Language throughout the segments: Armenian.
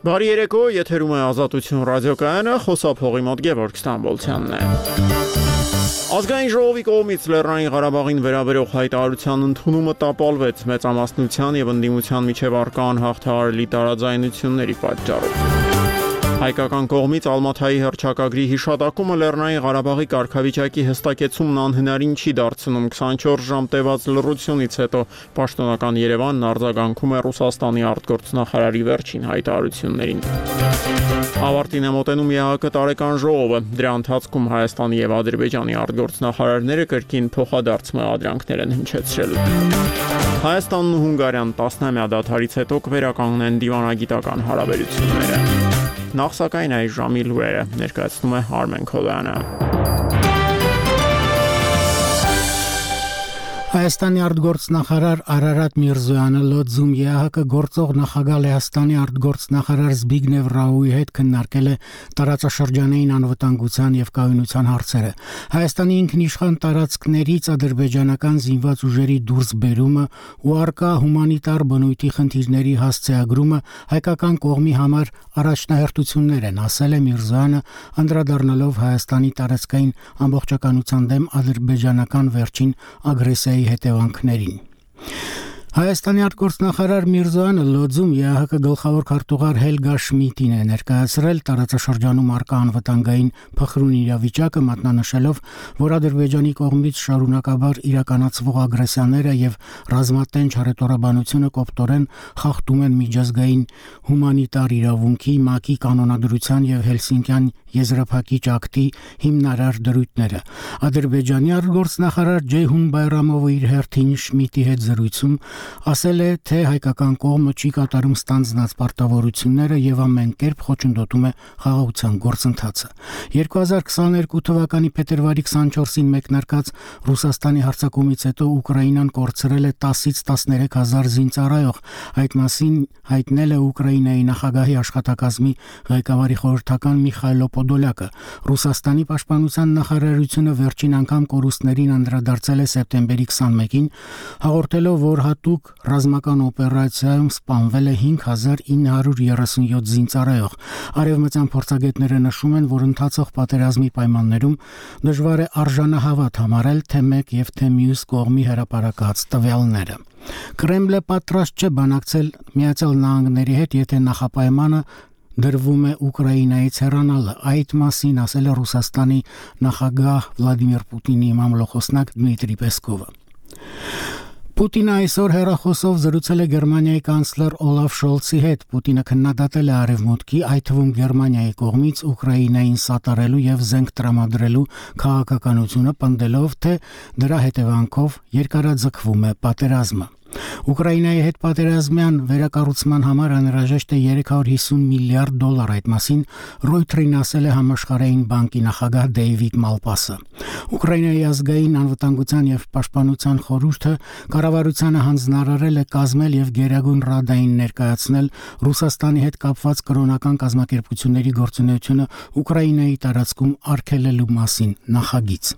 Բարի երեկո, եթերում է Ազատություն ռադիոկայանը, խոսափողի մոտ Գևորգ Ստամբոլցյանն է։ Ազգային ժողովի կողմից Լեռնային Ղարաբաղին վերաբերող հայտարարության ընդունումը տապալվեց մեծամասնության եւ ընդդիմության միջև առկա անհաղթահարելի տարաձայնությունների պատճառով։ Հայկական կողմից Ալմաթայի հռչակագրի հիշատակումը Լեռնային Ղարաբաղի կարգավիճակի հստակեցումն անհնարին չի դարձնում 24 ժամ տևած լռությունից հետո պաշտոնական Երևանն արձագանքում է Ռուսաստանի արտգործնախարարի վերջին հայտարարություններին։ Ավարտին է մոտենում ԵԱՀԿ տարեկան ժողովը, դրա ընթացքում Հայաստանի եւ Ադրբեջանի արտգործնախարարները կրկին փոխադարձ մեղադրանքներ են հնչեցրել։ Հայաստանն ու Հունգարիան 10-ամյա դադարից հետո կվերականգնեն դիվանագիտական հարաբերությունները։ Նախ սակայն այս ժամի լուրերը ներկայացնում է Արմեն Քոլյանը։ Հայաստանի արտգործնախարար Արարատ Միրզոյանը լոձում ԵԱՀԿ գործող նախագահ Լեհաստանի արտգործնախարար Զբիգնև Ռաուի հետ քննարկել է տարածաշրջանային անվտանգության եւ կայունության հարցերը։ Հայաստանի ինքնիշխան տարածքներից ադրբեջանական զինված ուժերի դուրսբերումը ու առկա հումանիտար բնույթի խնդիրների հասցեագրումը հայկական կողմի համար առաջնահերթություններ են, ասել է Միրզոյանը, անդրադառնալով Հայաստանի տարածքային ամբողջականության դեմ ադրբեջանական վերջին ագրեսիայի հետևանքներին։ Հայաստանի արտգործնախարար Միրզոյանը լոձում ԵԱՀԿ գլխավոր քարտուղար Հելգա Շմիդտին է ներկայացրել տարածաշրջանում առկա անվտանգային փխրուն իրավիճակը, մատնանշելով, որ Ադրբեջանի կողմից շարունակաբար իրականացվող ագրեսիաները եւ ռազմատենչ հռետորաբանությունը կոպտորեն խախտում են միջազգային հումանիտար իրավունքի, ՄԱԿ-ի կանոնադրության եւ Հելսինկյան եզրափակիչ ակտի հիմնարար դրույթները։ Ադրբեջանի արտգործնախարար Ջեյհուն Բայրամովը իր հերթին Շմիդտի հետ զրույցում ասել է, թե հայկական կողմը չի կատարում ստանձնած պարտավորությունները եւ ամեն կերպ խոչընդոտում է խաղաղության գործընթացը։ 2022 թվականի փետրվարի 24-ին մեկնարկած Ռուսաստանի հարձակումից հետո Ուկրաինան կորցրել է 10-ից 13000 զինծառայող, այդ մասին հայտնել է Ուկրաինայի նախագահի աշխատակազմի ղեկավարի խորհրդական Միխայլո Պոդոլյակը։ Ռուսաստանի պաշտպանության նախարարությունը վերջին անգամ կորուստներին անդրադարձել է սեպտեմբերի 21-ին, հաղորդելով, որ հատուկ ռազմական օպերացիայում սպանվել է 5937 զինծառայող։ Արևմտյան փորձագետները նշում են, որ ընթացող պատերազմի պայմաններում դժվար է արժանահավատ համարել թե մեկ եւ թե մյուս կողմի հրապարակած տվյալները։ Կրեմլը պատրաստ չէ բանակցել Միացյալ Նահանգների հետ, եթե նախապայմանը դրվում է Ուկրաինայից հեռանալը։ Այդ մասին ասել է Ռուսաստանի նախագահ Վլադիմիր Պուտինի մամլոխոսնակ Դմիտրի Պեսկովը։ Պուտինը այսօր հեռախոսով զրուցել է Գերմանիայի կանցլեր Օլաֆ Շոլցի հետ։ Պուտինը քննադատել է Արևմուտքի, այդ թվում Գերմանիայի կողմից Ուկրաինային սատարելու եւ զենք տրամադրելու քաղաքականությունը, պնդելով, թե դրա հետևանքով երկարաձգվում է պատերազմը։ Ուկրաինայի հետ պատերազմյան վերակառուցման համար անհրաժեշտ է $350 միլիարդ, այդ մասին Reuters-ին ասել է Համաշխարհային բանկի նախագահ Դեյվիդ Մալպասը։ Ուկրաինայի ազգային անվտանգության եւ պաշտպանության խորհուրդը կառավարությանը հանձնարարել է կազմել եւ Գերագույն Ռադային ներկայացնել Ռուսաստանի հետ կապված կրոնական կազմակերպությունների գործունեությունը Ուկրաինայի տարածքում արգելելու մասին նախագիծ։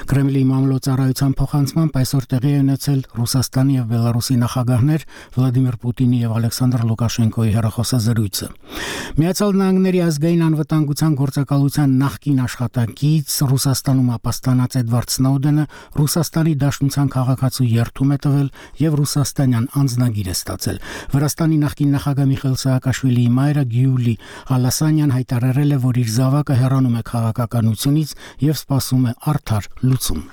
Կրեմլի մամլոյցարայության փոխանցմամբ այսօր տեղի է ունեցել Ռուսաստանի եւ Բելարուսի նախագահներ Վլադիմիր Պուտինի եւ Ալեքսանդր Լուկաշենկոյի հեռախոսազրույցը։ Միացյալ Նահանգների ազգային անվտանգության գործակալության նախկին աշխատակից Ռուսաստանում ապաստանած Էդվարդ Սնոուդենը Ռուսաստանի Դաշնության քաղաքացու երթում է տվել եւ ռուսաստանյան անձնագիր է ստացել։ Վրաստանի նախկին նախագահ Միխայիլ Սաակաշվիլիի մայրը Գյուլի Հալասանյան հայտարարել է, որ իր զավակը հեռանում է քաղաքականությունից եւ սպասում է լուծում։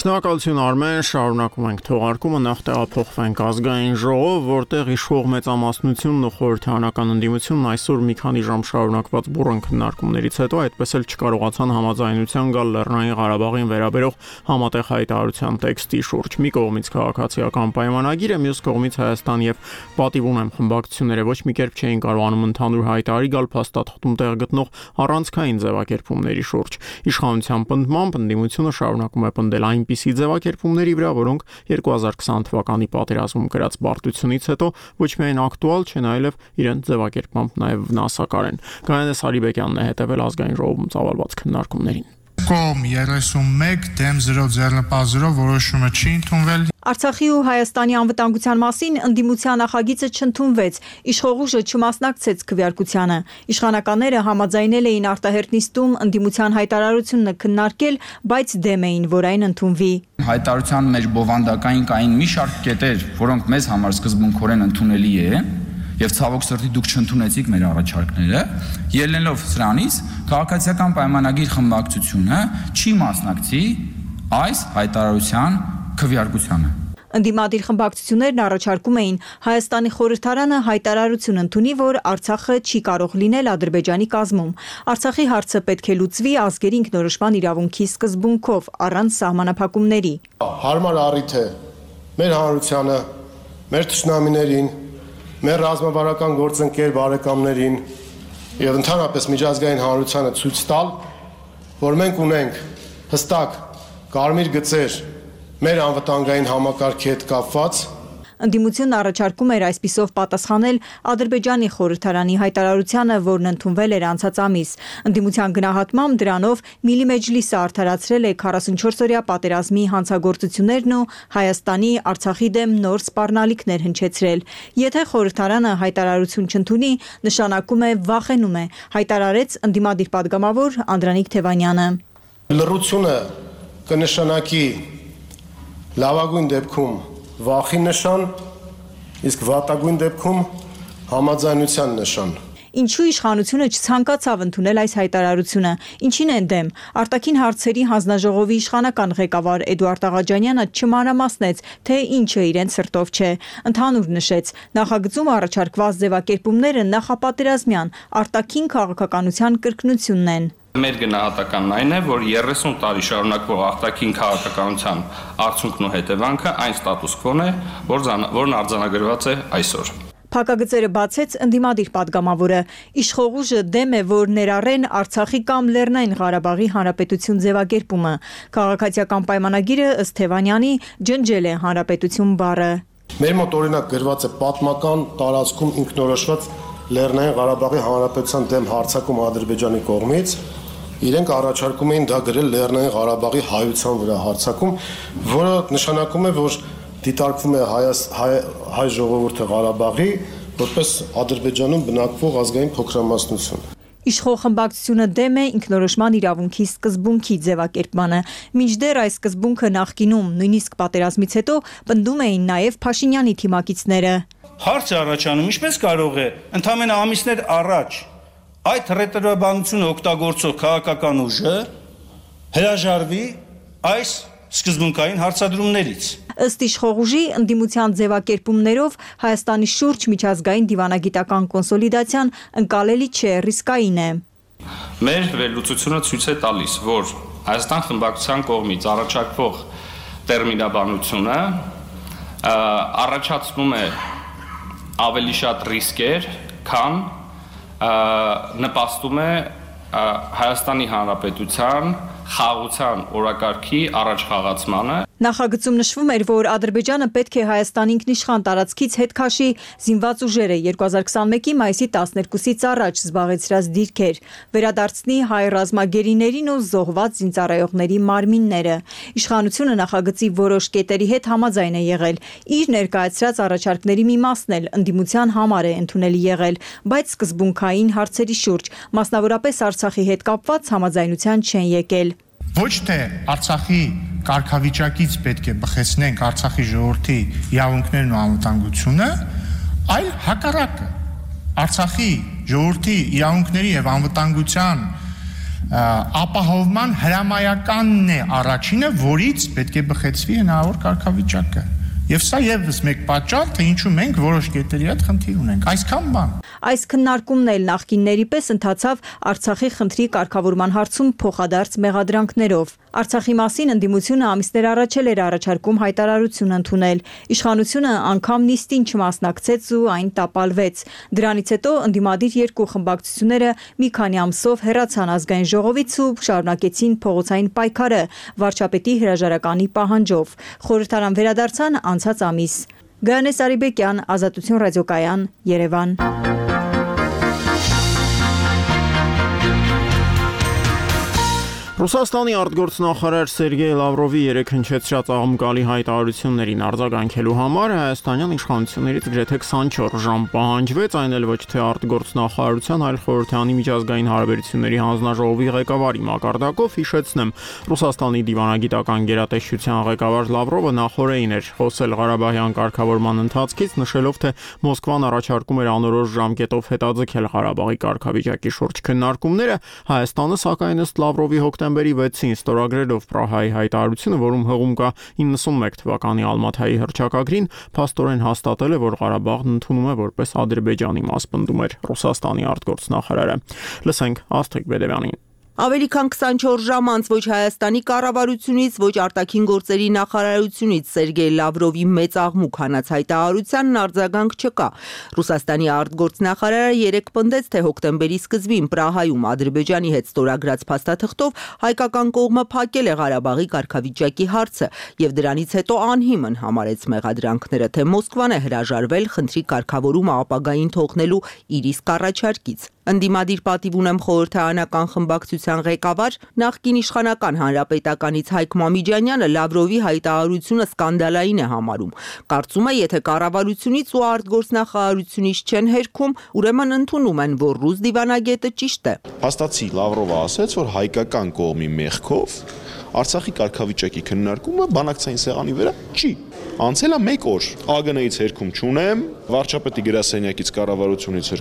Շնորհակալություն Արմեն, շարունակում ենք թողարկումը, նախ տեղափոխվենք ազգային ժողով, որտեղ իշխող մեծամասնությունն ու խորհրդարանական ընդդիմությունն այսօր մի քանի ժամ շարունակված բուռն քննարկումներից հետո այդպես էլ չկարողացան համաձայնության գալ Լեռնային Ղարաբաղին վերաբերող համատեղ հայտարարության տեքստի շուրջ։ Մի կողմից քաղաքացիական պայմանագիրը, մյուս կողմից Հայաստան եւ Պատիվ ունեմ խմբակցությունները ոչ մի կերպ չէին կարողանում ընդհանուր հայտարարի գալ փաստաթղթում տեղ գտնող առանցքային ձևակերպումների շուրջ։ Իշխանության պնդմամբ ընդդիմությունը շարունակում է պնդել այնպիսի ձևակերպումների վրա, որոնք 2020 թվականի պատերազմում կրած բարդությունից հետո ոչ միայն ակտուալ չեն, այլև իրենց ձևակերպմամբ նաև վնասակար են։ Գայանե Սարիբեկյանն է հետևել ազգային ժողովում ծավալված քննարկումներին։ Կողմ 31 դեմ 0 ձեռնպահ որոշումը չի ընդունվել։ Արցախի ու Հայաստանի անվտանգության մասին ընդդիմության նախագիծը չընդունվեց, իշխող ուժը չմասնակցեց քվեարկությանը։ Իշխանականները համաձայնել էին արտահերտ նիստում ընդդիմության հայտարարությունը քննարկել, բայց դեմ էին, որ այն ընդունվի։ Հայտարարության մեջ բովանդակային կային մի շարք կետեր, որոնք մեզ համար սկզբունքորեն ընդունելի է, եւ ցավոք սրտի դուք չընդունեցիք մեր առաջարկները, ելնելով սրանից քաղաքացիական պայմանագիր խմբակցությունը չի մասնակցի այս հայտարարության քվեարկությանը։ Ընդդիմադիր խմբակցություններն առաջարկում էին Հայաստանի խորհրդարանը հայտարարություն ընդունի, որ Արցախը չի կարող լինել Ադրբեջանի կազմում։ Արցախի հարցը պետք է լուծվի ազգերի ինքնորոշման իրավունքի սկզբունքով, առանց սահմանափակումների։ Հարմար առիթ է մեր հանրությանը, մեր թշնամիներին, մեր ռազմավարական գործընկեր բարեկամներին եւ ընդհանրապես միջազգային հանրությանը ցույց տալ, որ մենք ունենք հստակ կարմիր գծեր մեր անվտանգային համակարգի հետ կապված։ Ընդդիմությունն առաջարկում էր այսպիսով պատասխանել Ադրբեջանի խորհրդարանի հայտարարությանը, որն ընդունվել էր անցած ամիս։ Ընդդիմության գնահատմամբ դրանով Միլի Մեջլիսը արդարացրել է 44-օրյա պատերազմի հանցագործություններն ու Հայաստանի Արցախի դեմ նոր սպառնալիքներ հնչեցրել։ Եթե խորհրդարանը հայտարարություն չընդունի, նշանակում է վախենում է, հայտարարեց ընդդիմադիր պատգամավոր Անդրանիկ Թևանյանը։ Լռությունը կնշանակի լավագույն դեպքում վախի նշան, իսկ վատագույն դեպքում համաձայնության նշան։ Ինչու իշխանությունը չցանկացավ ընդունել այս հայտարարությունը, ինչին են դեմ։ Արտաքին հարցերի հանձնաժողովի իշխանական ղեկավար Էդուարդ Աղաջանյանը չմանրամասնեց, թե ինչը իրենց սրտով չէ։ Ընդհանուր նշեց, նախագծում առաջարկված ձևակերպումները նախապատերազմյան արտաքին քաղաքականության կրկնությունն են։ Մեր գնահատականն այն է, որ 30 տարի շարունակվող արտաքին քաղաքականության արդյունքն ու հետևանքը այն ստատուս քվոն է, որն արձանագրված է այսօր։ Փակագծերը բացեց ընդդիմադիր պատգամավորը։ Իշխող ուժը դեմ է, որ ներառեն Արցախի կամ Լեռնային Ղարաբաղի Հանրապետություն ձևակերպումը։ Քաղաքացիական պայմանագիրը ըստ Թևանյանի ջնջել է Հանրապետություն բառը։ Մեր մոտ օրինակ գրված է պատմական տարածքում ինքնորոշված Լեռնային Ղարաբաղի Հանրապետության դեմ հարձակում Ադրբեջանի կողմից։ Իրենք առաջարկում էին դա գրել Լեռնային Ղարաբաղի հայության վրա հարձակում, որը նշանակում է, որ դիտարկվում է հայ ժողովուրդը Ղարաբաղի որպես Ադրբեջանում բնակվող ազգային փոքրամասնություն։ Իշխող խմբակցությունը դեմ է ինքնորոշման իրավունքի սկզբունքի ձևակերպմանը։ Մինչդեռ այս սկզբունքը նախկինում, նույնիսկ պատերազմից հետո, պնդում էին նաև Փաշինյանի թիմակիցները։ Հարց է առաջանում, ինչպես կարող է ընդամենը ամիսներ առաջ այդ ռետորաբանությունը օգտագործող քաղաքական ուժը հրաժարվի այս սկզբունքային հարցադրումներից։ Ըստ իշխող ուժի ընդդիմության ձևակերպումներով Հայաստանի շուրջ միջազգային դիվանագիտական կոնսոլիդացիան ընկալելի չէ, ռիսկային է։ Մեր վերլուծությունը ցույց է տալիս, որ Հայաստան խմբակցության կողմից առաջարկվող տերմինաբանությունը առաջացնում է ավելի շատ ռիսկեր, քան նպաստում է Հայաստանի Հանրապետության խաղաղության օրակարգի առաջխաղացմանը։ Նախագծում նշվում էր, որ Ադրբեջանը պետք է Հայաստանի ինքնիշխան տարածքից հետ քաշի զինված ուժերը 2021-ի մայիսի 12-ից առաջ զբաղեցրած դիրքեր, վերադարձնի հայ ռազմագերիներին ու զոհված զինծառայողների մարմինները։ Իշխանությունը նախագծի որոշ կետերի հետ համաձայն է եղել։ Իր ներկայացրած առաջարկների մի մասն էլ ընդդիմության համար է ընդունելի եղել, բայց սկզբունքային հարցերի շուրջ, մասնավորապես Արցախի հետ կապված համաձայնության չեն եկել։ Ոչ թե Արցախի կարգավիճակից պետք է բխեցնենք Արցախի ժողովրդի իրավունքներն ու անվտանգությունը, այլ հակառակը։ Արցախի ժողովրդի իրավունքների եւ անվտանգության ապահովման հրամայականն է առաջինը, որից պետք է բխեցվի հնարավոր կարգավիճակը։ Եվ սա եւս մեկ պատճառ, թե ինչու մենք որոշ կետերի հետ խնդիր ունենք։ Այսքան բան։ Այս քննարկումն էլ նախկինների պես ընթացավ Արցախի խնդրի կարգավորման հարցում փոխադարձ մեղադրանքներով։ Արցախի մասին ընդդիմությունը ամիսներ առաջ էր առաջարկում հայտարարություն ընդունել։ Իշխանությունը անգամ նիստին չմասնակցեց ու այն տապալվեց։ Դրանից հետո ընդդիմադիր երկու խմբակցությունները մի քանի ամսով հեռացան ազգային ժողովից ու շարունակեցին փողոցային պայքարը վարչապետի հրաժարականի պահանջով։ Խորհրդարան վերադարձան անցած ամիս։ Գայանե Սարիբեկյան, Ազատություն ռադիոկայան, Երևան։ Ռուսաստանի արտգործնախարար Սերգեյ Լավրովի երեկ հնչեցրած աղմկալի հայտարարություններին արձագանքելու համար հայաստանյան իշխանություններից գրեթե 24 ժամ պահանջվեց, այն էլ ոչ թե արտգործնախարարության, այլ խորհրդանի միջազգային հարաբերությունների հանձնաժողովի ղեկավարի մակարդակով, հիշեցնեմ, Ռուսաստանի դիվանագիտական գերատեսչության ղեկավար Լավրովը նախօրեին էր խոսել Ղարաբաղյան կարգավորման ընթացքից, նշելով, թե Մոսկվան առաջարկում էր անորոշ ժամկետով հետաձգել Ղարաբաղի կարգավիճակի շուրջ քննարկումները, Հայաստանը սակայն ըստ Լավրովի հոկտեմբերի 6-ին ստորագրելով Պրահայի հայտարարությունը, որում հղում կա 91 թվականի Ալմաթայի հռչակագրին, փաստորեն հաստատել է, որ Ղարաբաղն ընդունում է որպես Ադրբեջանի մաս, էր Ռուսաստանի արտգործնախարարը։ Լսենք Աստղիկ Բեդևյանին։ Ավելի քան 24 ժամ անց ոչ Հայաստանի կառավարությունից, ոչ արտաքին գործերի նախարարությունից Սերգեյ Լավրովի մեծ աղմուկ հանած հայտարարությանն արձագանք չկա։ Ռուսաստանի արտգործնախարարը երեկ պնդեց, թե հոկտեմբերի սկզբին Պրահայում Ադրբեջանի հետ ստորագրած փաստաթղթով հայկական կողմը փակել է Ղարաբաղի կարգավիճակի հարցը եւ դրանից հետո անհիմն համարեց մեղադրանքները, թե Մոսկվան է հրաժարվել խնդրի կարգավորումը ապագային թողնելու իր իսկ առաջարկից։ Ընդդիմադիր պատիվ ունեմ խորհրդարանական խմբակցության ղեկավար, նախկին իշխանական հանրապետականից Հայկ Մամիջանյանը Լավրովի հայտարարությունը սկանդալային է համարում։ Կարծում է, եթե կառավարությունից ու արտգործնախարարությունից չեն հերքում, ուրեմն ընդունում են, որ ռուս դիվանագետը ճիշտ է։ Փաստացի Լավրովը ասաց, որ հայկական կողմի մեղքով Արցախի կարգավիճակի քննարկումը բանակցային սեղանի վրա չի։ Անցել է 1 օր, ԱԳՆ-ից հերքում չունեմ, վարչապետի գրասենյակից կառավարությունից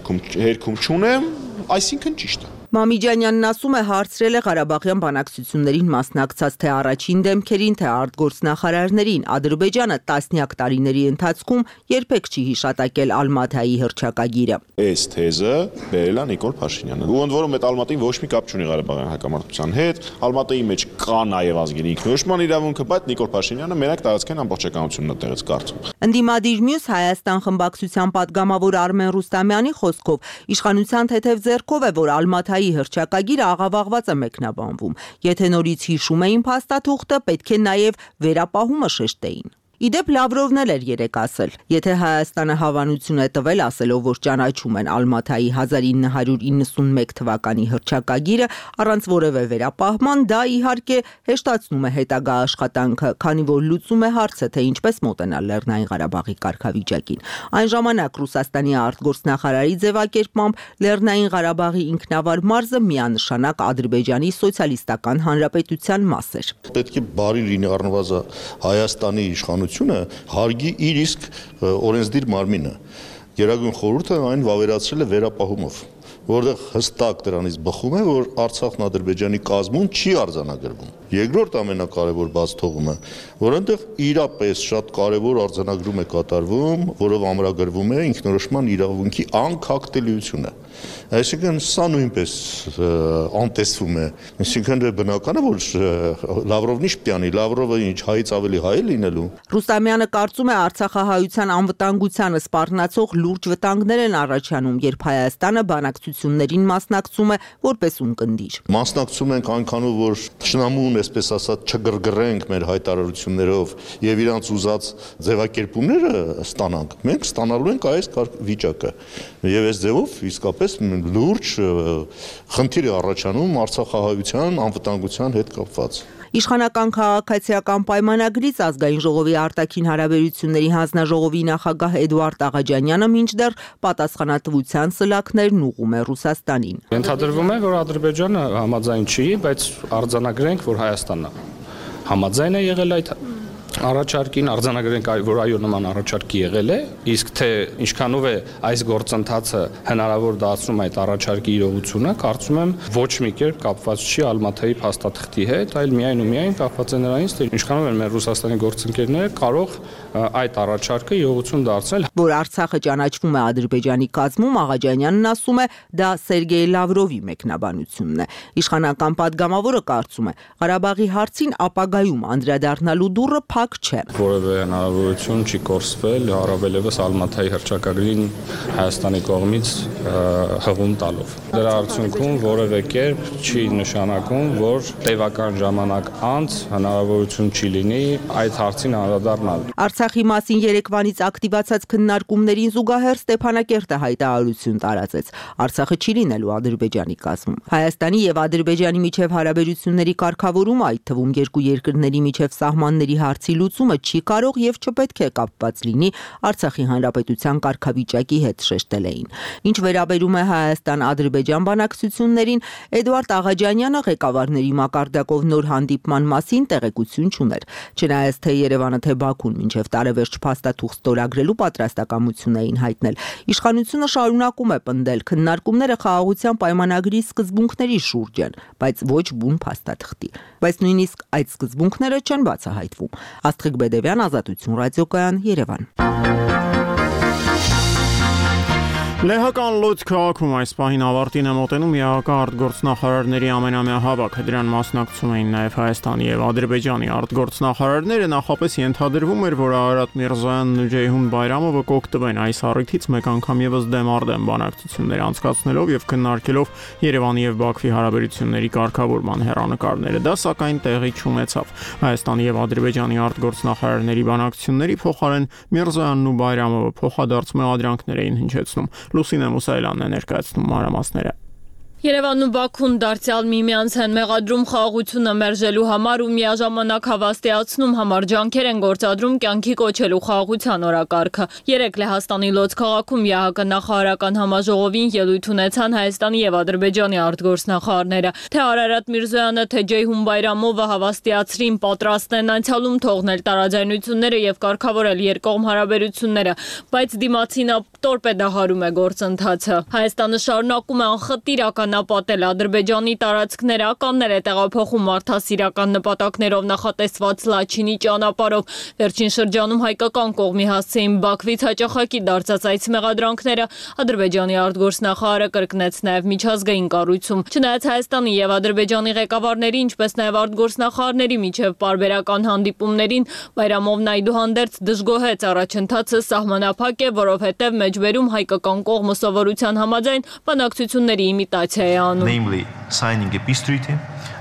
հերքում չունեմ, այսինքն ճիշտ է։ Մամիջանյանն ասում է, հարցրել է Ղարաբաղյան բանակցություններին մասնակցած թե առաջին դեմքերին, թե արտգործնախարարներին, Ադրբեջանը տասնյակ տարիների ընթացքում երբեք չի հիշատակել Ալմաթայի հռչակագիրը։ Այս թեզը բերել է Նիկոլ Փաշինյանը։ Ու ընդ որում այդ Ալմատին ոչ մի կապ չունի Ղարաբաղյան հակամարտության հետ, Ալմատայի մեջ կա նաև ազգերի ինքնորոշման իրավունքը, բայց Նիկոլ Փաշինյանը մենակ տարածքային ամբողջականությունն է տեղից կարծում։ Ընդդիմադիր մյուս Հայաստան խմբակցության падգամավոր Արմեն Ռուստամյանի խոսքով իշխանության թեթև ձեռքով է, որ Ալմաթայի հռչակագիրը աղավաղված է մեկնաբանվում։ Եթե նորից հիշում էին փաստաթուղթը, պետք է նաև վերապահումը շեշտեին։ Իդեպ Լավրովն էր երեկ ասել, եթե Հայաստանը հավանություն է տվել ասելով, որ ճանաչում են Ալմաթայի 1991 թվականի հռչակագիրը առանց որևէ վերապահման, դա իհարկե հեշտացնում է հետագա աշխատանքը, քանի որ լուծում է հարցը, թե ինչպես մոտենալ Լեռնային Ղարաբաղի կարգավիճակին։ Այն ժամանակ Ռուսաստանի արտգործնախարարի ձևակերպմամբ Լեռնային Ղարաբաղի ինքնավար մարզը միանշանակ Ադրբեջանի սոցիալիստական հանրապետության մաս էր։ Պետք է բարի լինի առնվազն Հայաստանի իշխանությունը հարգի իր իսկ օրենսդիր մարմինը։ Գերագույն խորհուրդը այն վավերացրել է վերապահումով, որտեղ հստակ դրանից բխում է, որ Արցախն Ադրբեջանի կազմում չի արձանագրվում։ Երկրորդ ամենակարևոր բացթողումը, որ այնտեղ իրապես շատ կարևոր արձանագրում է կատարվում, որով ամրագրվում է ինքնորոշման իրավունքի անկախտելիությունը։ Այսինքն սա նույնպես անտեսվում է։ Այսինքն բնական է, որ Լավրովն ինչ պիտի անի, Լավրովը ինչ հայից ավելի հայ է լինելու։ Ռուստամյանը կարծում է Արցախահայության անվտանգությանը սպառնացող լուրջ վտանգներ են առաջանում, երբ Հայաստանը բանակցություններին մասնակցում է որպես ունկնդիր։ Մասնակցում ենք այնքանով, որ շնամուն, այսպես ասած, չգրգռենք մեր հայտարարություններով եւ իրանց ուզած ձևակերպումները ստանանք։ Մենք ստանալու ենք այս վիճակը։ Եվ այս ձևով իսկապես լուրջ խնդիր է առաջանում Արցախահայության անվտանգության հետ կապված։ Իշխանական քաղաքացիական պայմանագրից ազգային ժողովի արտաքին հարաբերությունների հանձնաժողովի նախագահ Էդուարդ Աղաջանյանը մինչդեռ պատասխանատվության սլաքներն ուղղում է Ռուսաստանին։ Ենթադրվում է, որ Ադրբեջանը համաձայն չի, բայց արձանագրենք, որ Հայաստանն համաձայն է եղել այդ առաջարկին, արձանագրենք, որ այո նման առաջարկի եղել է, իսկ թե ինչքանով է այս գործընթացը հնարավոր դարձնում այդ առաջարկի իրողությունը, կարծում եմ ոչ մի կերպ կապված չի Ալմաթայի փաստաթղթի հետ, այլ միայն ու միայն կապված է նրանից, թե ինչքանով են մեր Ռուսաստանի գործընկերները կարող այդ առաջարկը իրողություն դարձնել։ Որ Արցախը ճանաչվում է Ադրբեջանի կազմում, Աղաջանյանն ասում է, դա Սերգեյ Լավրովի մեկնաբանությունն է։ Իշխանական падգամավորը կարծում է, Ղարաբաղի հարցին ապագայում անդրադառնալու դուռը փակ չէ։ Որևէ հնարավորություն չի կորսվել, առավելևս Ալմաթայի հռչակագրին Հայաստանի կողմից հղում տալով։ Դրա արդյունքում որևէ կերպ չի նշանակում, որ տևական ժամանակ անց հնարավորություն չի լինի այդ հարցին անդրադառնալ։ Արցախի մասին երեկվանից ակտիվացած քննարկումներին զուգահեռ Ստեփանակերտը հայտարարություն տարածեց։ Արցախը չի լինելու Ադրբեջանի կազմում։ Հայաստանի եւ Ադրբեջանի միջև հարաբերությունների կարգավորումը, այդ թվում երկու երկրների միջև սահմանների հարցի լուծումը չի կարող եւ չպետք է կապված լինի Արցախի հանրապետության կարգավիճակի հետ, շեշտել էին։ Ինչ վերաբերում է Հայաստան-Ադրբեջան բանակցություններին, Էդուարդ Աղաջանյանը ղեկավարների մակարդակով նոր հանդիպման մասին տեղեկություն չուներ։ Չնայած թե Երևանը, թե Բաքուն մինչև տարեվերջ փաստաթուղթ ստորագրելու պատրաստակամություն էին հայտնել, իշխանությունը շարունակում է պնդել քննարկումները խաղաղության պայմանագրի սկզբունքների շուրջ են, բայց ոչ բուն փաստաթղթի։ Բայց նույնիսկ այդ սկզբունքները չեն բացահայտվում։ Աստղիկ Բեդևյան, Ազատություն ռադիոկայան, Երևան։ Լեհական Լոց քաղաքում այս պահին ավարտին է մոտենում ԵԱՀԿ արտգործնախարարների ամենամյա հավաքը։ Դրան մասնակցում էին նաև Հայաստանի եւ Ադրբեջանի արտգործնախարարները։ Նախապես ենթադրվում էր, որ Արարատ Միրզոյանն ու Ջեյհուն Բայրամովը կօգտվեն այս առիթից մեկ անգամ եւս դեմ-արդեմ բանակցություններ անցկացնելով եւ քննարկելով Երևանի եւ Բաքվի հարաբերությունների կարգավորման հեռանկարները։ Դա սակայն տեղի չունեցավ։ Հայաստանի եւ Ադրբեջանի արտգործնախարարների բանակցությունների փոխարեն Միրզոյանն ու Բայրամովը փոխադարձ մեղադրանքներ էին հնչեցնում։ Լուսինե Մուսայելյանն է ներկայացնում մանրամասները։ Երևանն ու Բաքուն դարձյալ միմյանց են մեղադրում խաղաղությունը մերժելու համար ու միաժամանակ հավաստիացնում համար ջանքեր են գործադրում կյանքի կոչելու խաղաղության օրակարգը։ Երեկ Լեհաստանի Լոց քաղաքում ԵԱՀԿ նախարարական համաժողովին ելույթ ունեցան Հայաստանի եւ Ադրբեջանի արտգործնախարարները։ Թե Արարատ Միրզոյանը, թե Ջեյհուն Բայրամովը հավաստիացրին պատրաստ են անցյալում թողնել տարաձայնությունները եւ կարգավորել երկկողմ հարաբերությունները, բայց դիմացինը տորպեդահարում է գործընթացը։ Հայաստանը շարունակում է անխտիր ականապատել Ադրբեջանի տարածքները, ականներ է տեղափոխում մարդասիրական նպատակներով նախատեսված Լաչինի ճանապարհով։ Վերջին շրջանում հայկական կողմի հասցեին Բաքվից հաճախակի դարձած այս մեղադրանքները Ադրբեջանի արտգործնախարարը կրկնեց նաև միջազգային կառույցում։ Չնայած Հայաստանի եւ Ադրբեջանի ղեկավարների, ինչպես նաև արտգործնախարարների միջև պարբերական հանդիպումներին, Բայրամովն այդուհանդերձ դժգոհեց առաջընթացը սահմանափակ է, որովհետև մեջբերում հայկական կողմը սովորության համաձայն բանակցությունների իմիտացիա է անում։ Namely, signing a peace treaty,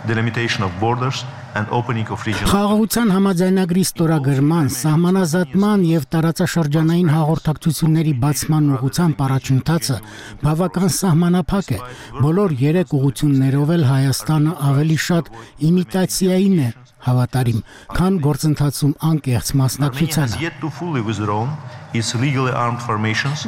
delimitation of borders and opening of regional Խաղաղության համաձայնագրի ստորագրման, սահմանազատման եւ տարածաշրջանային հաղորդակցությունների բացման ուղղությամբ առաջընթացը բավական սահմանափակ է։ Բոլոր 3 ուղղություններով էլ Հայաստանը ավելի շատ իմիտացիային է հավատարիմ, քան գործընթացում անկեղծ մասնակցությանը։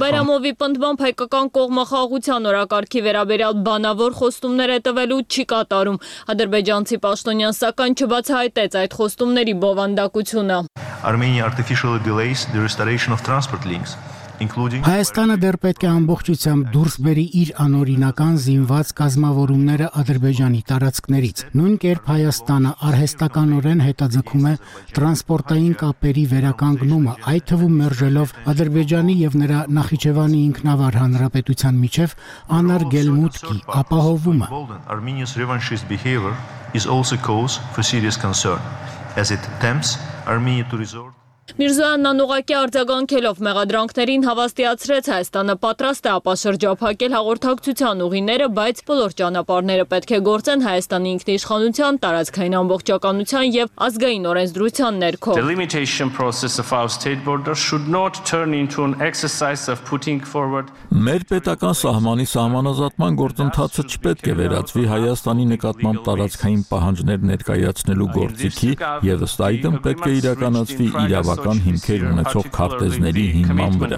Բայրամովի պնդմամբ հայկական կողմը խաղաղության օրակարգի վերաբերյալ բանավոր խոստումներ է տվելու չի կատարում։ Ադրբեջանցի պաշտոնյան սակայն չբացահայտեց այդ խոստումների բովանդակությունը։ Armenia artificially delays the restoration of transport links. Հայաստանը դեռ պետք է ամբողջությամբ դուրս բերի իր անօրինական զինված կազմավորումները Ադրբեջանի տարածքներից։ Նույն կերպ Հայաստանը արհեստականորեն հետաձգում է տրանսպորտային կապերի վերականգնումը, այդ թվում մերժելով Ադրբեջանի եւ նրա Նախիջևանի ինքնավար հանրապետության միջև անարգել մուտքի ապահովումը։ Armenia's revanchist behavior is also cause for serious concern as it tempts Armenia to resort Միրզոյանն անուղղակի արձագանքելով մեղադրանքներին հավաստիացրեց Հայաստանը պատրաստ է ապաշրջափակել հաղորդակցության ուղիները, բայց բոլոր ճանապարհները պետք է գործեն Հայաստանի ինքնիշխանության, տարածքային ամբողջականության եւ ազգային օրենսդրության ներքո։ The limitation process of our state borders should not turn into an exercise of putting forward Մեր պետական սահմանի սահմանազատման գործընթացը չպետք է վերածվի Հայաստանի նկատմամբ տարածքային պահանջներ ներկայացնելու գործիքի եւ ըստ այդմ պետք է իրականացվի իրավական հիմքեր ունեցող քարտեզների հիման վրա։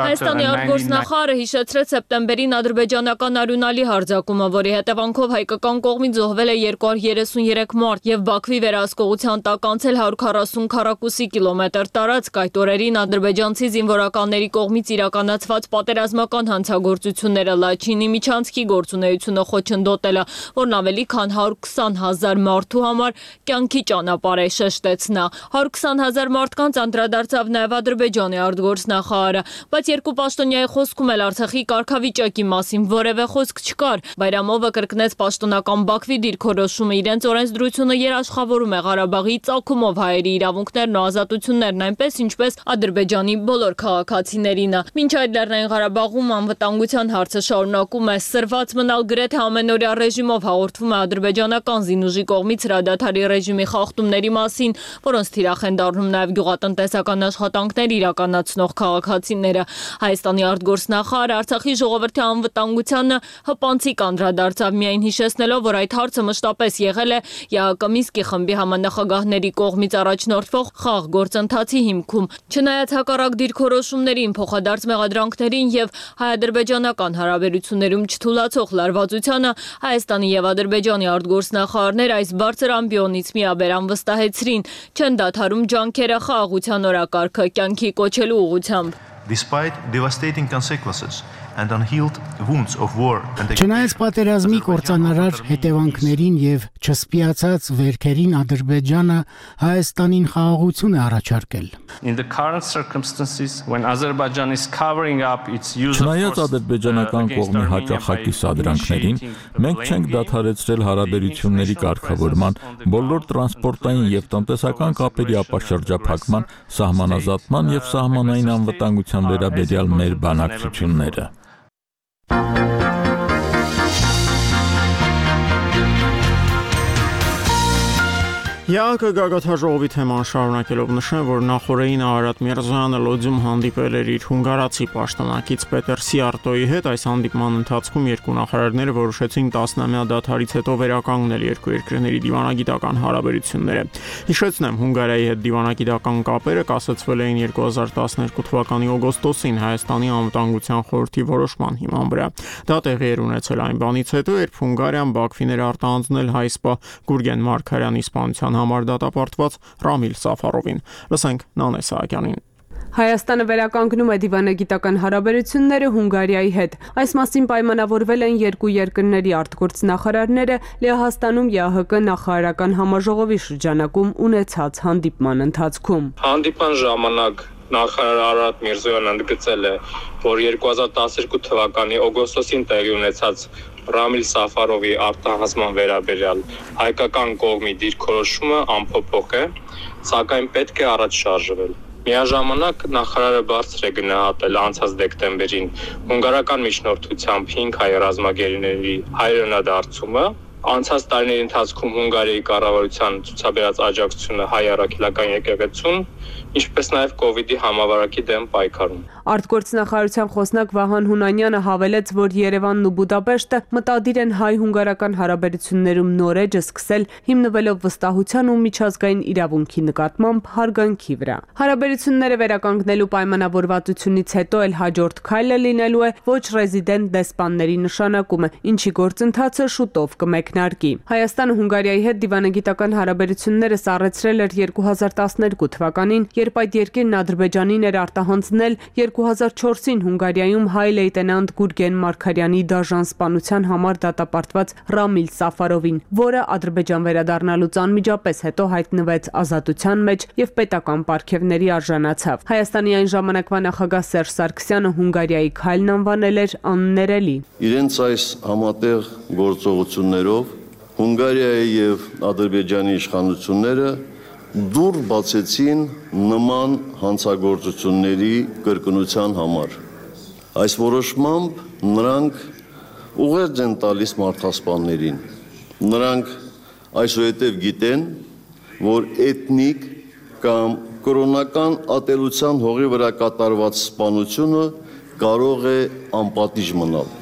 Հայաստանի արտգործնախարարը հիշեցրեց սեպտեմբերին ադրբեջանական արյունալի հարձակումը, որի հետևանքով հայկական կողմից զոհվել է 233 մարդ եւ Բաքվի վերահսկողության տակ անցել 140 քառակուսի կիլոմետր տարածք։ Այդ օրերին ադրբեջանցի զինվորականների կողմից իրականացված պատերազմական հանցագործությունները Լաչինի միջանցքի գործունեությունը խոչընդոտելը, որն ավելի քան 120,000 մարդու համար կյանքի ճանապարհ է, շեշտեց նա։ 120,000 մարդկանց անդրադարձավ նաև Ադրբեջանի արտգործնախարարը, բայց երկու պաշտոնյայի խոսքում էլ Արցախի կարգավիճակի մասին որևէ խոսք չկար։ Բայրամովը կրկնեց պաշտոնական Բաքվի դիրքորոշումը, իրենց օրենսդրությունը երաշխավորում է Ղարաբաղի ծագումով հայերի իրավունքներն ու ազատություններն այնպես, ինչպես Ադրբեջանի բոլոր քաղաքացիներինը։ Մինչ այդ Լեռնային Ղարաբաղում անվտանգության հարցը շարունակում է սրված մնալ, գրեթե ամենօրյա ռեժիմով հաղորդվում է ադրբեջանական զինուժի կողմից հրադադարի ռեժիմի խախտումների մասին, որոնց թիրախ են դառնում նաև գյուղատնտեսական աշխատանքներ իրականացնող քաղաքացիները։ Հայաստանի արտգործնախարարը Արցախի ժողովրդի անվտանգությանը հպանցիկ անդրադարձավ, միայն հիշեցնելով, որ այդ հարցը մշտապես եղել է ԵԱՀԿ Մինսկի խմբի համանախագահների կողմից առաջնորդվող խաղ գործընթացի հիմքում։ Չնայած հակառակ դիրքորոշումներին, փոխադարձ մեղադրանքներին եւ հայ-ադրբեջանական հարաբերություններում չթուլացող լարվածությանը, Հայաստանի եւ Ադրբեջանի արտգործնախարարներ այս բարձր ամբիոնից միաբերան վստահեցրին, չեն դադարում ջանքերը խաղաղության օրակարգը կյանքի կոչելու ուղղությամբ։ Despite devastating consequences and unhealed wounds of war and Չնայած պատերազմի կործանարար հետևանքներին եւ չսպիացած վերքերին Ադրբեջանը Հայաստանին խաղաղություն է առաջարկել։ In the current circumstances when Azerbaijan is covering up its use Չնայած ադրբեջանական կողմի հաճախակի սադրանքներին, մենք չենք դադարեցրել հարաբերությունների կարգավորման, բոլոր տրանսպորտային եւ տնտեսական կապերի ապաշրջափակման, սահմանազատման եւ սահմանային անվտանգության վերաբերյալ մեր բանակցությունները։ ԵԱՀԿ գագաթաժողովի թեման շարունակելով նշեմ, որ նախորդին Արարատ Միրզոյանը Լոձում հանդիպել էր իր հունգարացի պաշտոնակից Պետեր Սիարտոյի հետ։ Այս հանդիպման ընթացքում երկու նախարարները որոշեցին 10-ամյա դադարից հետո վերականգնել երկու երկրների դիվանագիտական հարաբերությունները։ Հիշեցնեմ, Հունգարիայի հետ դիվանագիտական կապերը կասեցվել էին 2012 թվականի օգոստոսին Հայաստանի անվտանգության խորհրդի որոշման հիման վրա։ Դա տեղի էր ունեցել այն բանից հետո, երբ Հունգարիան Բաքվին էր արտահանձնել հայ սպա Գուրգեն Մարգարյանի սպանության համար դատապարտված Ռամիլ Սաֆարովին։ Լսենք Նանե Սահակյանին։ Հայաստանը վերականգնում է դիվանագիտական հարաբերությունները Հունգարիայի հետ։ Այս մասին պայմանավորվել են երկու երկրների արտգործնախարարները Լեհաստանում ԵԱՀԿ նախարարական համաժողովի շրջանակում ունեցած հանդիպման ընթացքում։ Հանդիպան ժամանակ նախարար Արարատ Միրզոյանը ընդգծել է, որ 2012 թվականի օգոստոսին տեղի ունեցած Ռամիլ Սաֆարովի արտահանձնման վերաբերյալ հայկական կողմի դիրքորոշումը անփոփոխ է, սակայն պետք է առաջ շարժվել։ Միաժամանակ նախարարը բարձր է գնահատել անցած դեկտեմբերին հունգարական միջնորդությամբ 5 հայ ռազմագերիների հայրենադարձումը, անցած տարիների ընթացքում Հունգարիայի կառավարության ցուցաբերած աջակցությունը հայ առաքելական եկեղեցուն, ինչպես նաև կոവിഡ്ի համավարակի դեմ պայքարում։ Արտգործնախարարության խոսնակ Վահան Հունանյանը հավելեց, որ Երևանն ու Բուդապեշտը մտադիր են հայ-հունգարական հարաբերություններում նոր էջը սկսել, հիմնվելով վստահության ու միջազգային իրավունքի նկատմամբ հարգանքի վրա։ Հարաբերությունները վերականգնելու պայմանավորվածությունից հետո էլ հաջորդ քայլը լինելու է ոչ ռեզիդենտ դեսպանների նշանակումը, ինչի գործընթացը շուտով կմեկնարկի։ Հայաստանը Հունգարիայի հետ դիվանագիտական հարաբերությունները սառեցրել էր 2012 թվականին, երբ այդ երկիրն Ադրբեջանին էր արտահանձնել 2004-ին Հունգարիայում հայ լեյտենանտ Գուրգեն Մարգարյանի դաժան սպանության համար դատապարտված Ռամիլ Սաֆարովին, որը Ադրբեջան վերադառնալուց անմիջապես հետո հայտնվեց ազատության մեջ եւ պետական պարգևների արժանացավ։ Հայաստանի այն ժամանակվա նախագահ Սերժ Սարգսյանը Հունգարիայի քայլն անվանել էր աններելի։ Իրենց այս համատեղ գործողություններով Հունգարիայի եւ Ադրբեջանի իշխանությունները դուր բացեցին նման հանցագործությունների կրկնության համար։ Այս որոշմամբ նրանք ուղերձ են տալիս մարդասպաններին։ Նրանք այսուհետև գիտեն, որ էթնիկ կամ կրոնական ատելության հողի վրա կատարված սպանությունը կարող է անպատիժ մնալ։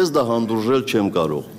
Ես դա հանդուրժել չեմ կարող։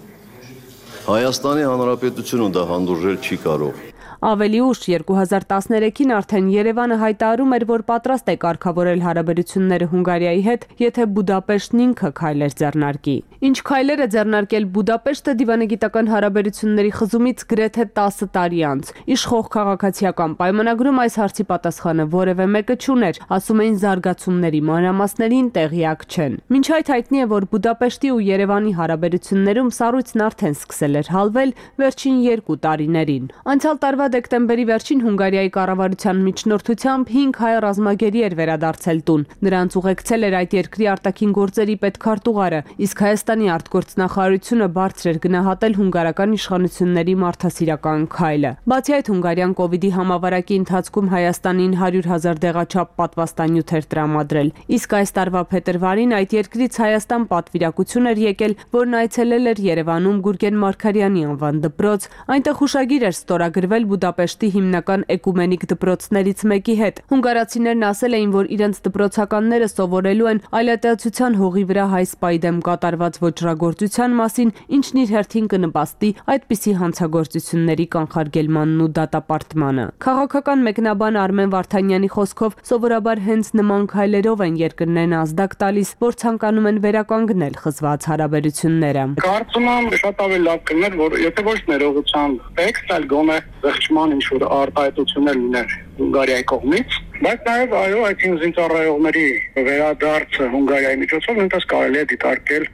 Հայաստանի Հանրապետությունը դա հանդուրժել չի կարող։ Ավելի ուշ 2013-ին արդեն Երևանը հայտարարում էր, որ պատրաստ է կարգավորել հարաբերությունները Հունգարիայի հետ, եթե Բուդապեշտն ինքը քայլեր ձեռնարկի։ Ինչ քայլեր է ձեռնարկել Բուդապեշտը դիվանագիտական հարաբերությունների խզումից գրեթե 10 տարի անց։ Իշխող քաղաքացիական պայմանագրում այս հարցի պատասխանը որևէ մեկը չուներ, ասում էին զարգացումների մանրամասներին տեղյակ չեն։ Մինչ այդ հայտնի է, որ Բուդապեշտի ու Երևանի հարաբերություններում սառույցն արդեն սկսել էր հալվել վերջին 2 տարիներին։ Անցյալ տարվա դեկտեմբերի վերջին Հունգարիայի կառավարության միջնորդությամբ 5 հայ ռազմագերի էր վերադարձել տուն։ Նրանց ուղեկցել էր այդ երկրի արտաքին գործերի պետքարտուղարը, իսկ Հայաստանի արտգործնախարարությունը բարձր էր գնահատել հունգարական իշխանությունների մարդասիրական քայլը։ Բացի այդ, Հունգարիան կոവിഡ്ի համավարակի ընթացքում Հայաստանին 100,000 դեղաչափ պատվաստանյութ էր տրամադրել։ Իսկ այս տարվա փետրվարին այդ երկրից Հայաստան պատվիրակություն էր եկել, որն այցելել էր Երևանում Գուրգեն Մարգարյանի անվան դպրոց։ Այնտեղ հուշագիր էր ստորագրվել Բուդապեշտի հիմնական էկումենիկ դպրոցներից մեկի հետ։ Հունգարացիներն ասել էին, որ իրենց դպրոցականները սովորելու են այլատիացության հողի վրա հայ սպայի դեմ կատարված ոճրագործության մասին, ինչն իր հերթին կնպաստի այդպիսի հանցագործությունների կանխարգելմանն ու դատապարտմանը։ Քաղաքական մեկնաբան Արմեն Վարդանյանի խոսքով սովորաբար հենց նման քայլերով են երկրներն ազդակ տալիս, որ ցանկանում են վերականգնել խզված հարաբերությունները։ Կարծում եմ շատ ավելի լավ կլիներ, որ եթե ոչ ներողությամբ տեքստ, այլ գոնե զղջման ինչ-որ արտահայտություններ լիներ Հունգարիայի կողմից, բայց նաև այո, այդ զինծառայողների վերադարձը Հունգարիայի միջոցով նույնպես կարելի է դիտարկել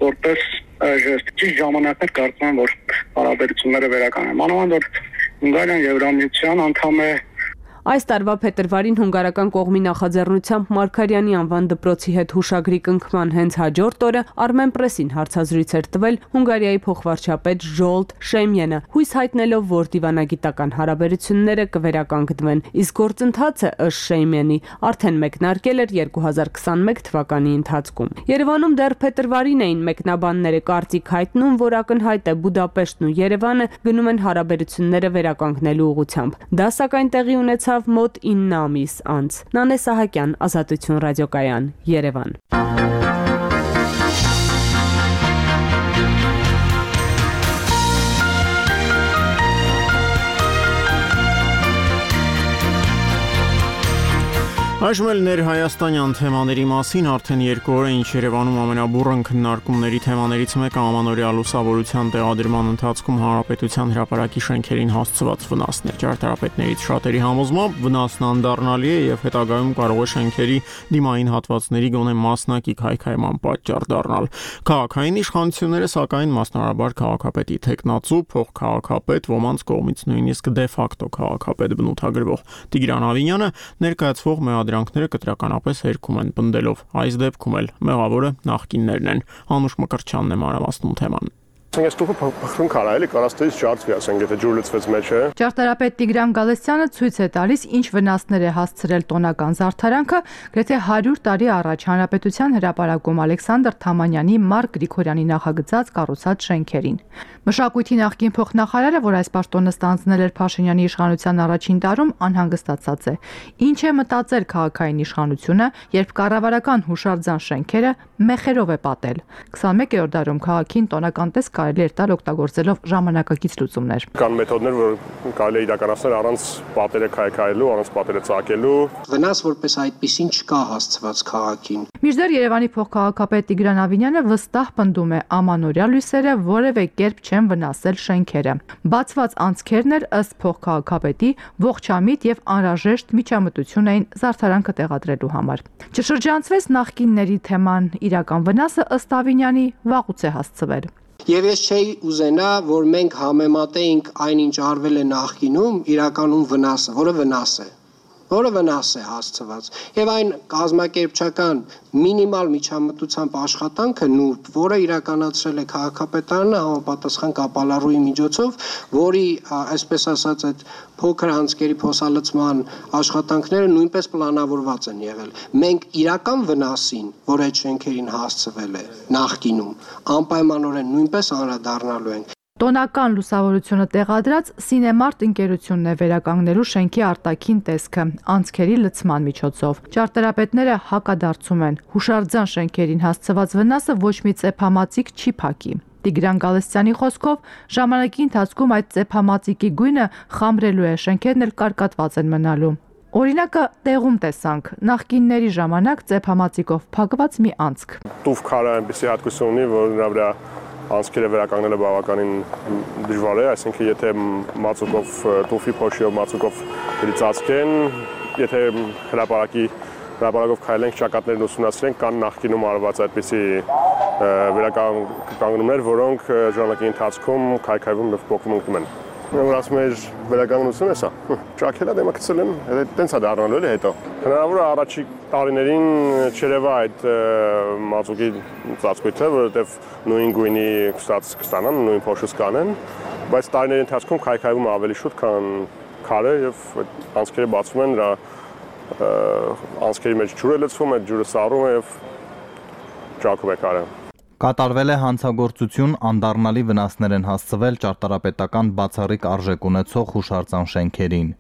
որպես ճիշտ ժամանակներ, կարծում եմ, որ հարաբերությունները վերականգնեն։ Մանավանդ որ Հունգարիան Եվրամիության անդամ է։ Այս տարվա փետրվարին հունգարական կողմի նախաձեռնությամբ Մարգարյանի անվան դպրոցի հետ հուշագրի կնքման հենց հաջորդ օրը Armen Press-ին հարցազրույց էր տվել Հունգարիայի փոխվարչապետ Ժոլտ Շեմյենը, հույս հայտնելով, որ դիվանագիտական հարաբերությունները կվերականգնվեն, իսկ գործընթացը ըստ Շեմյենի արդեն մեկնարկել էր 2021 թվականի ընթացքում։ Երևանում դեռ փետրվարին էին մեկնաբանները կարծիք հայտնում, որ ակնհայտ է Բուդապեշտն ու Երևանը գնում են հարաբերությունները վերականգնելու ուղղությամբ։ Դա սակայն տեղի ունեցավ մոտ 9 ամիս անց։ Նանե Սահակյան, Ազատություն ռադիոկայան, Երևան։ Այժմ էլ ներհայաստանյան թեմաների մասին արդեն 2 օր է ինչ Երևանում ամենաբուրըն քննարկումների թեմաներից մեկը ամանորյա լուսավորության տեղադրման ընթացքում հանրապետության հրապարակի շենքերին հասցված վնասն է։ Ճարտարապետներից շատերի համոզմամբ վնասն անդառնալի է եւ հետագայում կարող է շենքերի դիմային հատվածների գոնե մասնակի քայքայման պատճառ դառնալ։ Քաղաքային իշխանությունները սակայն մասնարարաբար քաղաքապետի տեխնացու փոխքաղաքապետ ոմանց կողմից նույնիսկ դե ֆակտո քաղաքապետ բնութագրվող Տիգրան Ավինյանը ներկայացվող մեղադրանքները կտրականապես հերքում են պնդելով այս դեպքում էլ մեղավորը նախկիններն են։ Հանուշ Մկրտչյանն է մանրամասնում թեման։ Ես տուփը փխրուն կարա էլի կարաստից ջարդվի, ասենք, եթե ջուր լցվեց մեջը։ Ճարտարապետ Տիգրան Գալստյանը ցույց է տալիս, ինչ վնասներ է հասցրել տոնական զարդարանքը, գրեթե 100 տարի առաջ Հանրապետության հրապարակում Ալեքսանդր Թամանյանի Մարկ Գրիգորյանի նախագծած կառուցած շենքերին։ Մշակույթի նախկին փոխնախարարը, որ այս պաշտոնը ստանձնել էր Փաշինյանի իշխանության առաջին տարում, անհանգստացած է։ Ինչ է մտածել քաղաքային իշխանությունը, երբ կառավարական հուշարձան շենքերը մեխերով է պատել։ 21-րդ դարում քաղաքին տոնական տեսք կարելի էր տալ օգտագործելով ժամանակակից լուծումներ։ Կան մեթոդներ, որ կարելի է իրականացնել առանց պատերը քայքայելու, առանց պատերը ծակելու։ Վնաս որպես այդպեսին չկա հասցված քաղաքին։ Մինչդեռ Երևանի փոխքաղաքապետ Տիգրան Ավինյանը վստահ պնդում է ամանորյա լույսերը որևէ կերպ չեն վնասել շենքերը։ Բացված անցքերն էլ ըստ փոխքաղաքապետի ողջամիտ եւ անհրաժեշտ միջամտություն էին զարդարանքը տեղադրելու համար։ Չշրջանցվեց նախկինների թեման, իրական վնասը ըստ Ավինյանի վաղուց է հասցվել։ Եվ ես չէի ուզենա, որ մենք համեմատեինք այն, ինչ արվել է նախկինում, իրականում վնասը, որը վնաս է հասցված։ Եվ այն կազմակերպչական մինիմալ միջամտությամբ աշխատանքը նուրբ, որը իրականացրել է քաղաքապետարանը համապատասխան կապալառուի միջոցով, որի, այսպես ասած, այդ փոքր անցքերի փոսալցման աշխատանքները նույնպես պլանավորված են եղել։ Մենք իրական վնասին, որ այդ շենքերին հասցվել է նախկինում, անպայմանորեն նույնպես անդրադառնալու ենք։ Տոնական լուսավորությունը տեղադրած Սինեմարտ ընկերությունն է վերականգնելու շենքի արտաքին տեսքը անցքերի լցման միջոցով։ Ճարտարապետները հակադարձում են, հուշարձան շենքերին հասցված վնասը ոչ մի ծեփամածիկ չի փակի։ Տիգրան Գալստյանի խոսքով ժամանակի ընթացքում այդ ծեփամածիկի գույնը խամրելու է, շենքերն էլ կարկատված են մնալու։ Օրինակը տեղում տեսանք, նախկինների ժամանակ ծեփամածիկով փակված մի անցք։ Տուֆ քարը այնպեսի հատկություն ունի, որ նրա վրա անցքերը վերականգնելը բավականին դժվար է, այսինքն եթե մածուկով տուֆի փոշիով մածուկով ծածկեն, եթե հրապարակով քայլենք, ճակատներն ուսումնասիրենք, կան նախկինում արված այդպիսի վերականգնումներ, որոնք ժամանակի ընթացքում քայքայվում եւ փոխվում են։ Որ ասում էր վերականգնություն է սա։ Ճաքելա դեմակցել են, տենց է դառնալու էլի հետո։ Հնարավոր է առաջի տարիներին չերևա այդ մածուկի ծածկույթը, որովհետև նույն գույնի կստանան, նույն փոշուց կանեն, բայց տարիների ընթացքում քայքայվում է ավելի շուտ, քան քարը եւ անցքերը բացվում են, դրա անցքերի մեջ ջուր է լցվում, այդ ջուրը սառում է եւ ճաքում է քարը։ Կատարվել է հանցագործություն, անդառնալի վնասներ են հասցվել ճարտարապետական բացառիկ արժեք ունեցող հուշարձան շենքերին։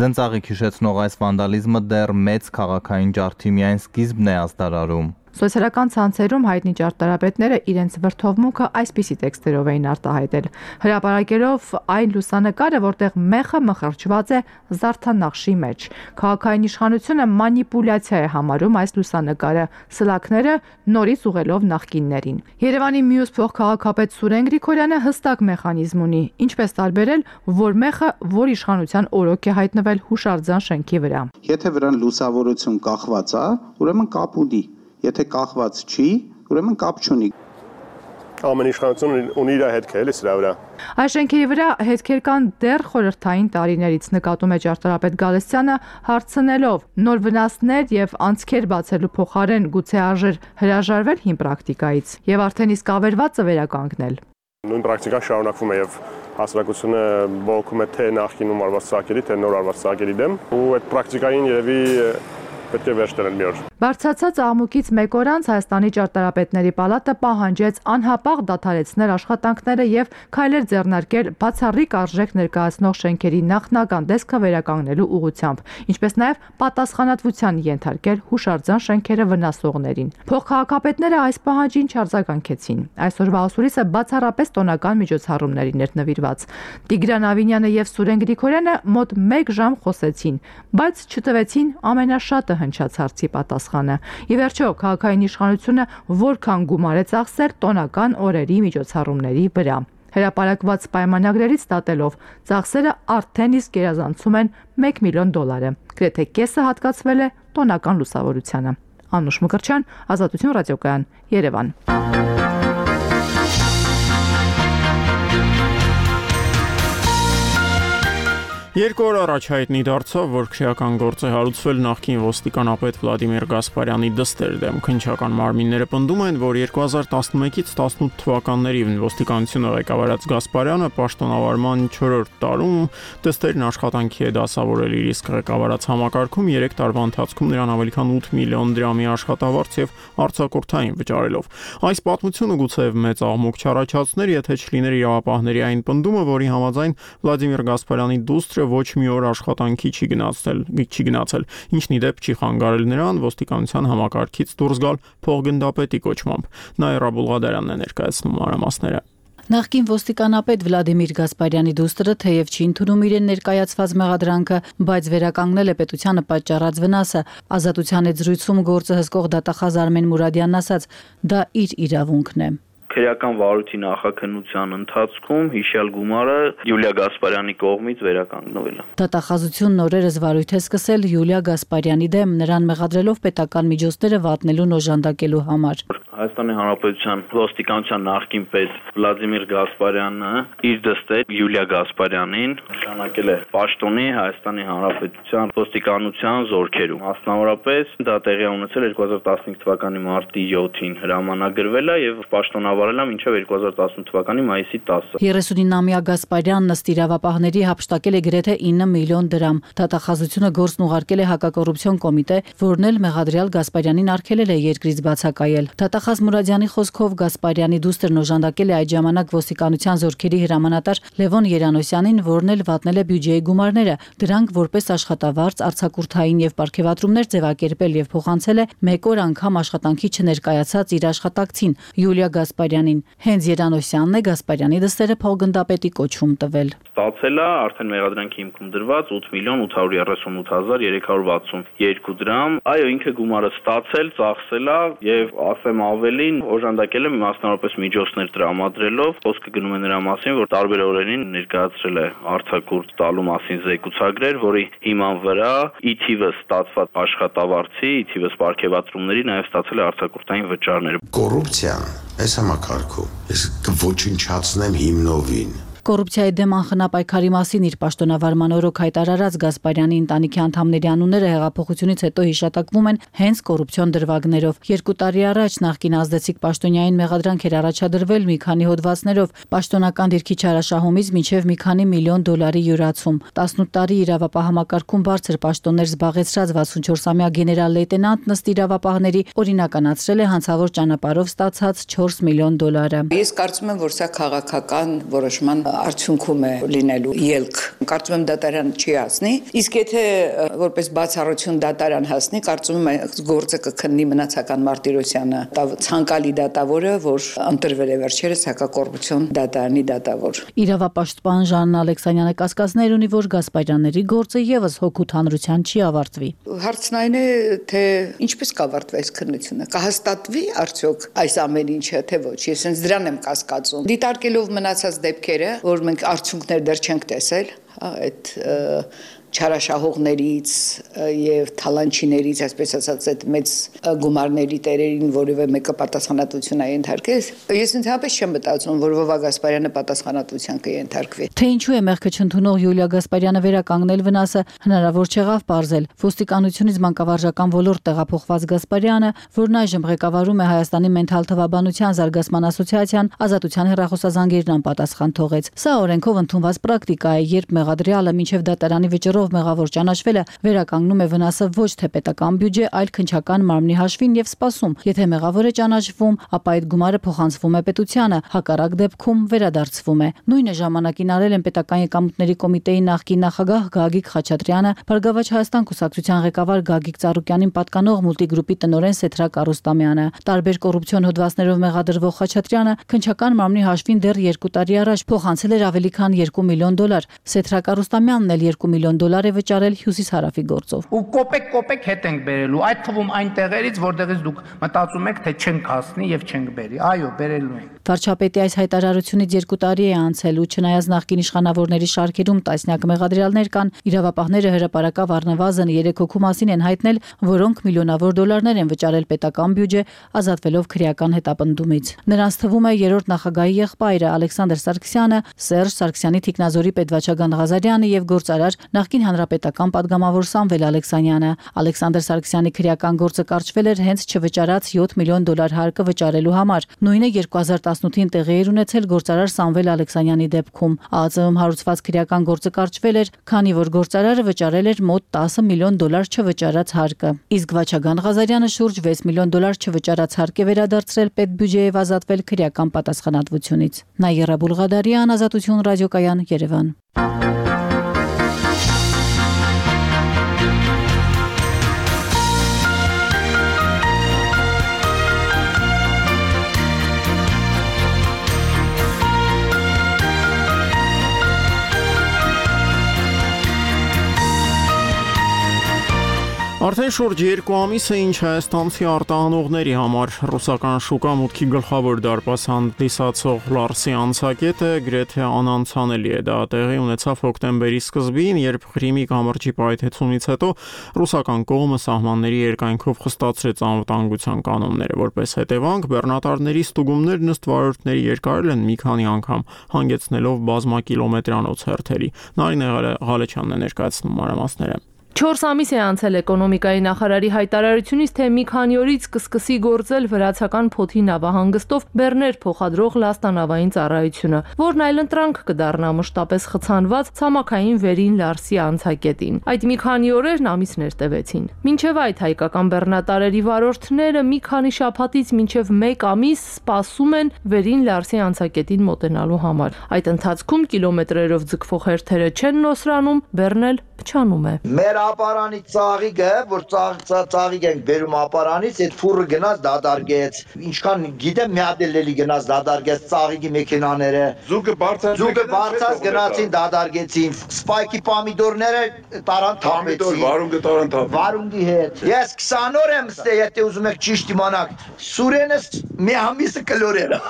Ձնծաղիկ հիշեցնող այս վանդալիզմը դեռ մեծ քաղաքային ջարդի միայն սկիզբն է ազդարարում։ Սոցիալական ցանցերում հայտնի ճարտարապետները իրենց վրդովմունքը այսպիսի տեքստերով էին արտահայտել, հրապարակելով այն լուսանկարը, որտեղ մեխը մխրճված է զարդանախշի մեջ։ Քաղաքային իշխանությունը մանիպուլյացիա է համարում այս լուսանկարը, սլաքները նորից ուղղելով նախկիններին։ Երևանի մյուս փոխքաղաքապետ Սուրեն Գրիգորյանը հստակ մեխանիզմ ունի, ինչպես տարբերել, որ մեխը որ իշխանության օրոք է հայտնվել հուշարձան շենքի վրա։ Եթե վրան լուսավորություն կախված է, ուրեմն կապ ունի։ Եթե կախված չի, ուրեմն կապ չունի։ Ամեն իշխանություն ունի իր հետքը, էլի սրա վրա։ Այս շենքերի վրա հետքեր կան դեռ խորհրդային տարիներից, նկատում է ճարտարապետ Գալստյանը, հարցնելով նոր վնասներ եւ անցքեր բացելու փոխարեն գուցե արժեր հրաժարվել հին պրակտիկայից եւ արդեն իսկ ավերվածը վերականգնել։ Նույն պրակտիկան շարունակվում է եւ հասարակությունը բողոքում է թե նախկինում արված ծաղկերի, թե նոր արված ծաղկերի դեմ, ու այդ պրակտիկային երևի պետք է վերջ դնել մի օր։ Բարձրացած աղմուկից մեկ օր անց Հայաստանի ճարտարապետների պալատը պահանջեց անհապաղ դադարեցնել աշխատանքները եւ քայլեր ձեռնարկել բացառիկ արժեք ներկայացնող շենքերի նախնական տեսքը վերականգնելու ուղղությամբ, ինչպես նաեւ պատասխանատվության ենթարկել հուշարձան շենքերը վնասողներին։ Փոխքաղաքապետները այս պահանջին չարձագանքեցին։ Այսօրվա ասուրիսը բացառապես տոնական միջոցառումներին էր նվիրված։ Տիգրան Ավինյանը եւ Սուրեն Գրիգորյանը մոտ 1 ժամ խոսեցին, բայց չտվեցին ամենաշատը հնչած հարցի պատասխանը։ Ի վերջո, քաղաքային իշխանությունը որքան գումար է ծախսել տոնական օրերի միջոցառումների վրա։ Հրապարակված պայմանագրերից ստատելով, ծախսերը արդեն իսկ գերազանցում են $1 միլիոն։ Գրեթե կեսը հատկացվել է տոնական լուսավորությանը։ Անուշ Մկրտչյան, Ազատություն ռադիոկայան, Երևան։ Երկու օր առաջ հայտնի դարձավ, որ քրեական գործ է հարուցվել նախկին ոստիկանապետ Վլադիմիր Գասպարյանի դստեր դեմ։ Քննչական մարմինները պնդում են, որ 2011-ից 18 թվականներին ոստիկանությունը ղեկավարած Գասպարյանը պաշտոնավարման 4-րդ տարում դստերն աշխատանքի է դասավորել իր իսկ ղեկավարած համակարգում 3 տարվա ընթացքում նրան ավելի քան 8 միլիոն դրամի աշխատավարձ եւ արձակուրդային վճարելով։ Այս պատմությունը գուցեև մեծ աղմուկ չառաջացներ, եթե չլիներ իրավապահների այն պնդումը, որի համաձայն Վլադիմիր Գասպարյանի դուստրը ոչ մի օր աշխատանքի չի գնացել, ինչն ի դեպ չի խանգարել նրան ոստիկանության համակարգից դուրս գալ փոխգնդապետի կոչմամբ։ Նաիրա Բուլղադարյանն է ներկայացնում մանրամասները։ Նախկին ոստիկանապետ Վլադիմիր Գասպարյանի դուստրը թեև չի ընդունում իրեն ներկայացված մեղադրանքը, բայց վերականգնել է պետությանը պատճառած վնասը։ Ազատության հետ զրույցում գործը հսկող դատախազ Արմեն Մուրադյանն ասաց, դա իր իրավունքն է։ Քրեական վարույթի նախաքննության ընթացքում հիշյալ գումարը Յուլիա Գասպարյանի կողմից վերականգնվել է։ Դատախազությունն օրերս վարույթ է սկսել Յուլիա Գասպարյանի դեմ, նրան մեղադրելով պետական միջոցները վատնելուն օժանդակելու համար։ Հայաստանի Հանրապետության ոստիկանության նախկին պետ Վլադիմիր Գասպարյանը իր դստեր Յուլիա Գասպարյանին նշանակել է պաշտոնի Հայաստանի Հանրապետության ոստիկանության զորքերում։ Մասնավորապես դա տեղի ունեցել 2015 թվականի մարտի 7-ին հրամանագրվել է եւ պաշտոնավարել է մինչեւ 2018 թվականի մայիսի 10-ը։ 39-ամյա Գասպարյանն ըստ իրավապահների հափշտակել է գրեթե 9 միլիոն դրամ։ Դատախազությունը գործն ուղարկել է հակակոռուպցիոն կոմիտե, որն էլ մեղադրյալ Գասպարյանին արգելել է երկրից բացակայել։ Դատախազ Մուրադյանի խոսքով Գասպարյանի դուստրն օժանդակել է այդ ժամանակ ոստիկանության զորքերի հրամանատար Լևոն Երանոսյանին, որն էլ վատնել է բյուջեի գումարները, դրանք որպես աշխատավարձ, արձակուրդային եւ պարգևատրումներ ձևակերպել եւ փոխանցել է 1 օր անգամ աշխատանքի չներկայացած իր աշխատակցին Յուլիա Գասպարյանին։ Հենց Երանոսյանն է Գասպարյանի դստերը փոխգնդապետի կոչում տվել։ Ստացել է արդեն մեղադրանքի հիմքում դրված 8.838.362 դրամ։ Այո, ինքը գումարը ստացել, ծախսել է եւ ասեմ ավելին օժանդակել է մասնավորապես միջոցներ տրամադրելով, խոսքը գնում է նրա մասին, որ տարբեր օրերին ներկայացրել է արձակուրդ տալու մասին զեկուցագրեր, որի հիման վրա ի թիվս ստացված աշխատավարձի, ի թիվս պարգևատրումների նաև ստացել է արձակուրդային վճարներ։ Կոռուպցիան այս համակարգում ես կոչնչացնեմ հիմնովին։ Կոռուպցիայի դեմ անխնապայքարի մասին իր պաշտոնավարման օրոք հայտարարած Գասպարյանի ընտանիքի անդամների անունները հեղափոխությունից հետո հիշատակվում են հենց կոռուպցիոն դրվագներով։ 2 տարի առաջ նախկին ազդեցիկ պաշտոնյային մեղադրանք էր առաջադրվել մի քանի հոդվածներով պաշտոնական դիրքի չարաշահումից մինչև մի քանի միլիոն դոլարի յուրացում։ 18 տարի իրավապահ համակարգում բարձր պաշտոններ զբաղեցրած 64-ամյա գեներալ լեյտենանտն ըստ իրավապահների օրինականացրել է հանցավոր ճանապարհով ստացած 4 միլիոն դոլարը։ Ես կարծում եմ, որ սա քաղաքական որոշման արդյունքում է լինելու ելք։ Կարծում եմ դատարան չի հասնի, իսկ եթե որպես բացառություն դատարան հասնի, կարծում եմ գործը կքննի մնացական Մարտիրոսյանը, ցանկալի դատավորը, որ ընտրվել է վերջերս հակակոռուպցիոն դատարանի դատավոր։ Իրավապաշտպան Ժաննա Ալեքսանյանը կասկածներ ունի, որ Գասպարյանների գործը եւս հոգուտ հանրության չի ավարտվի։ Հարցն այն է, թե ինչպես կավարտվի այս քննությունը, կհաստատվի արդյոք այս ամեն ինչը, թե ոչ։ Ես հենց դրան եմ կասկածում։ Դիտարկելով մնացած դեպքերը, որ մենք արդյունքներ դեռ չենք տեսել, այդ չարաշահողներից եւ թալանչիներից, այսպես ասած, այդ մեծ գումարների տերերին որևէ մեկը պատասխանատվություն է ենթարկել։ Ես ընդհանրապես չեմ մտածում, որ Վովա Գասպարյանը պատասխանատվության կենթարկվի։ Թե ինչու է մեղքը չընդունող Յուլիա Գասպարյանը վերականգնել վնասը, հնարավոր չեղավ պարզել։ Ոստիկանությունից մանկավարժական ոլորտ տեղափոխված Գասպարյանը, որն այժմ ղեկավարում է Հայաստանի մենթալ թվաբանության զարգացման ասոցիացիան, ազատության հեռախոսազանգերն անպատասխան թողեց։ Սա օրենքով ընդունված պրակտիկա է, երբ մեղադրյալը մինչև դատարանի վճռով մեղավոր ճանաչվելը վերականգնում է վնասը ոչ թե պետական բյուջե, այլ քննչական մարմնի հաշվին եւ սպասում։ Եթե մեղավոր է ճանաչվում, ապա այդ գումարը փոխանցվում է պետությանը, հակառակ դեպքում վերադարձվում է։ Նույնը ժամանակին արել են պետական եկամուտների կոմիտեի նախկին նախագահ Գագիկ Խաչատրյանը, Բարգավաճ Հայաստան կուսակցության ղեկավար Գագիկ Ծառուկյանին պատկանող մուլտիգրուպի տնօրեն Սեթրակ Արուստամյանը։ Տարբեր կոռուպցիոն հոդվածներով մեղադրվող Խաչատրյանը քննչական մարմնի հաշվին դեռ 2 տարի առաջ փոխանցել էր ավելի քան 2 միլիոն դոլար։ Սեթրակ Արուստամյանն էլ 2 միլիոն դոլար է վճարել Հյուսիսհարավի գործով։ Ու կոպեկ հետ ենք բերելու, այդ թվում այն տեղերից, որտեղից դուք մտածում եք, թե չենք հասնի եւ չենք բերի։ Այո, բերելու ենք։ Վարչապետի այս հայտարարությունից 2 տարի է անցել ու չնայած նախկին իշխանավորների շարքերում տասնյակ մեղադրյալներ կան, իրավապահները հրապարակավ առնվազն 3 հոգու մասին են հայտնել, որոնք միլիոնավոր դոլարներ են վճարել պետական բյուջե, ազատվելով քրեական հետապնդումից։ Նրանց թվում է երրորդ նախագահի եղբայրը Ալեքսանդր Սարգսյանը, Սերժ Սարգսյանի թիկնազորի պետվաճառ Ղազարյանը եւ գործարար նախկին հանրապետական падգամավոր Սամվել Ալեքսանյանը։ Ալեքսանդր Սարգսյանի քրեական գործը կարճվել էր հենց չվճարած 7 միլիոն դոլար հարկը վճարելու համար։ Նույնը 2018-ին տեղի էր ունեցել գործարար Սամվել Ալեքսանյանի դեպքում։ ԱԱԾ-ում հարուցված քրեական գործը կարճվել էր, քանի որ գործարարը վճարել էր մոտ 10 միլիոն դոլար չվճարած հարկը։ Իսկ Վաչագան Ղազարյանը շուրջ 6 միլիոն դոլար չվճարած հարկ է վերադարձրել պետբյուջեև ազատվել քրեական պատասխանատվությունից։ Նայերա Բուլղադարյան, Ազատություն ռադիոկայան, Երևան։ Արդեն շուրջ 2 ամիս է ինչ հայաստանցի արտահանողների համար ռուսական շուկա մուտքի գլխավոր դարպաս հանդիսացող Լարսի անցակետը գրեթե անանցանելի է։ Դա տեղի ունեցավ հոկտեմբերի սկզբին, երբ Ղրիմի կամրջի պայթեցումից հետո ռուսական կողմը սահմանների երկայնքով խստացրեց անվտանգության կանոնները։ Որպես հետևանք, բեռնատարների ստուգումներն ըստ վարորդների երկարել են մի քանի անգամ, հանգեցնելով բազմակիլոմետրանոց հերթերի։ Նարինե Ղալեչյանն է ներկայացնում մանրամասները։ 4 ամիս է անցել էկոնոմիկայի նախարարի հայտարարությունից, թե մի քանի օրից կսկսի գործել վրացական Փոթի նավահանգստով բեռներ փոխադրող լաստանավային ծառայությունը, որն այլընտրանք կդառնա մշտապես խցանված ցամաքային վերին Լարսի անցակետին։ Այդ մի քանի օրերն ամիսներ տևեցին։ Մինչև այդ հայկական բեռնատարերի վարորդները մի քանի շաբաթից մինչև 1 ամիս սպասում են վերին Լարսի անցակետին մոտենալու համար։ Այդ ընթացքում կիլոմետրերով ձգվող հերթերը չեն նոսրանում, բեռնել փչանում է։ Ապարանի ծաղիկը, որ ծաղիկ ենք բերում ապարանից, այդ ֆուրը գնաց դադարգեց։ Ինչքան գիտեմ, մի հատ էլի գնաց դադարգեց ծաղիկի մեքենաները։ Զուգը բարձած գնացին դադարգեցին։ Սպայկի պամիդորները տարան թափեցին։ Վարունգը տարան թափ։ Վարունգի հետ։ Ես 20 օր եմ ստե, եթե ուզում եք ճիշտ իմանալ։ Սուրենս մի ամիսը կլորել է։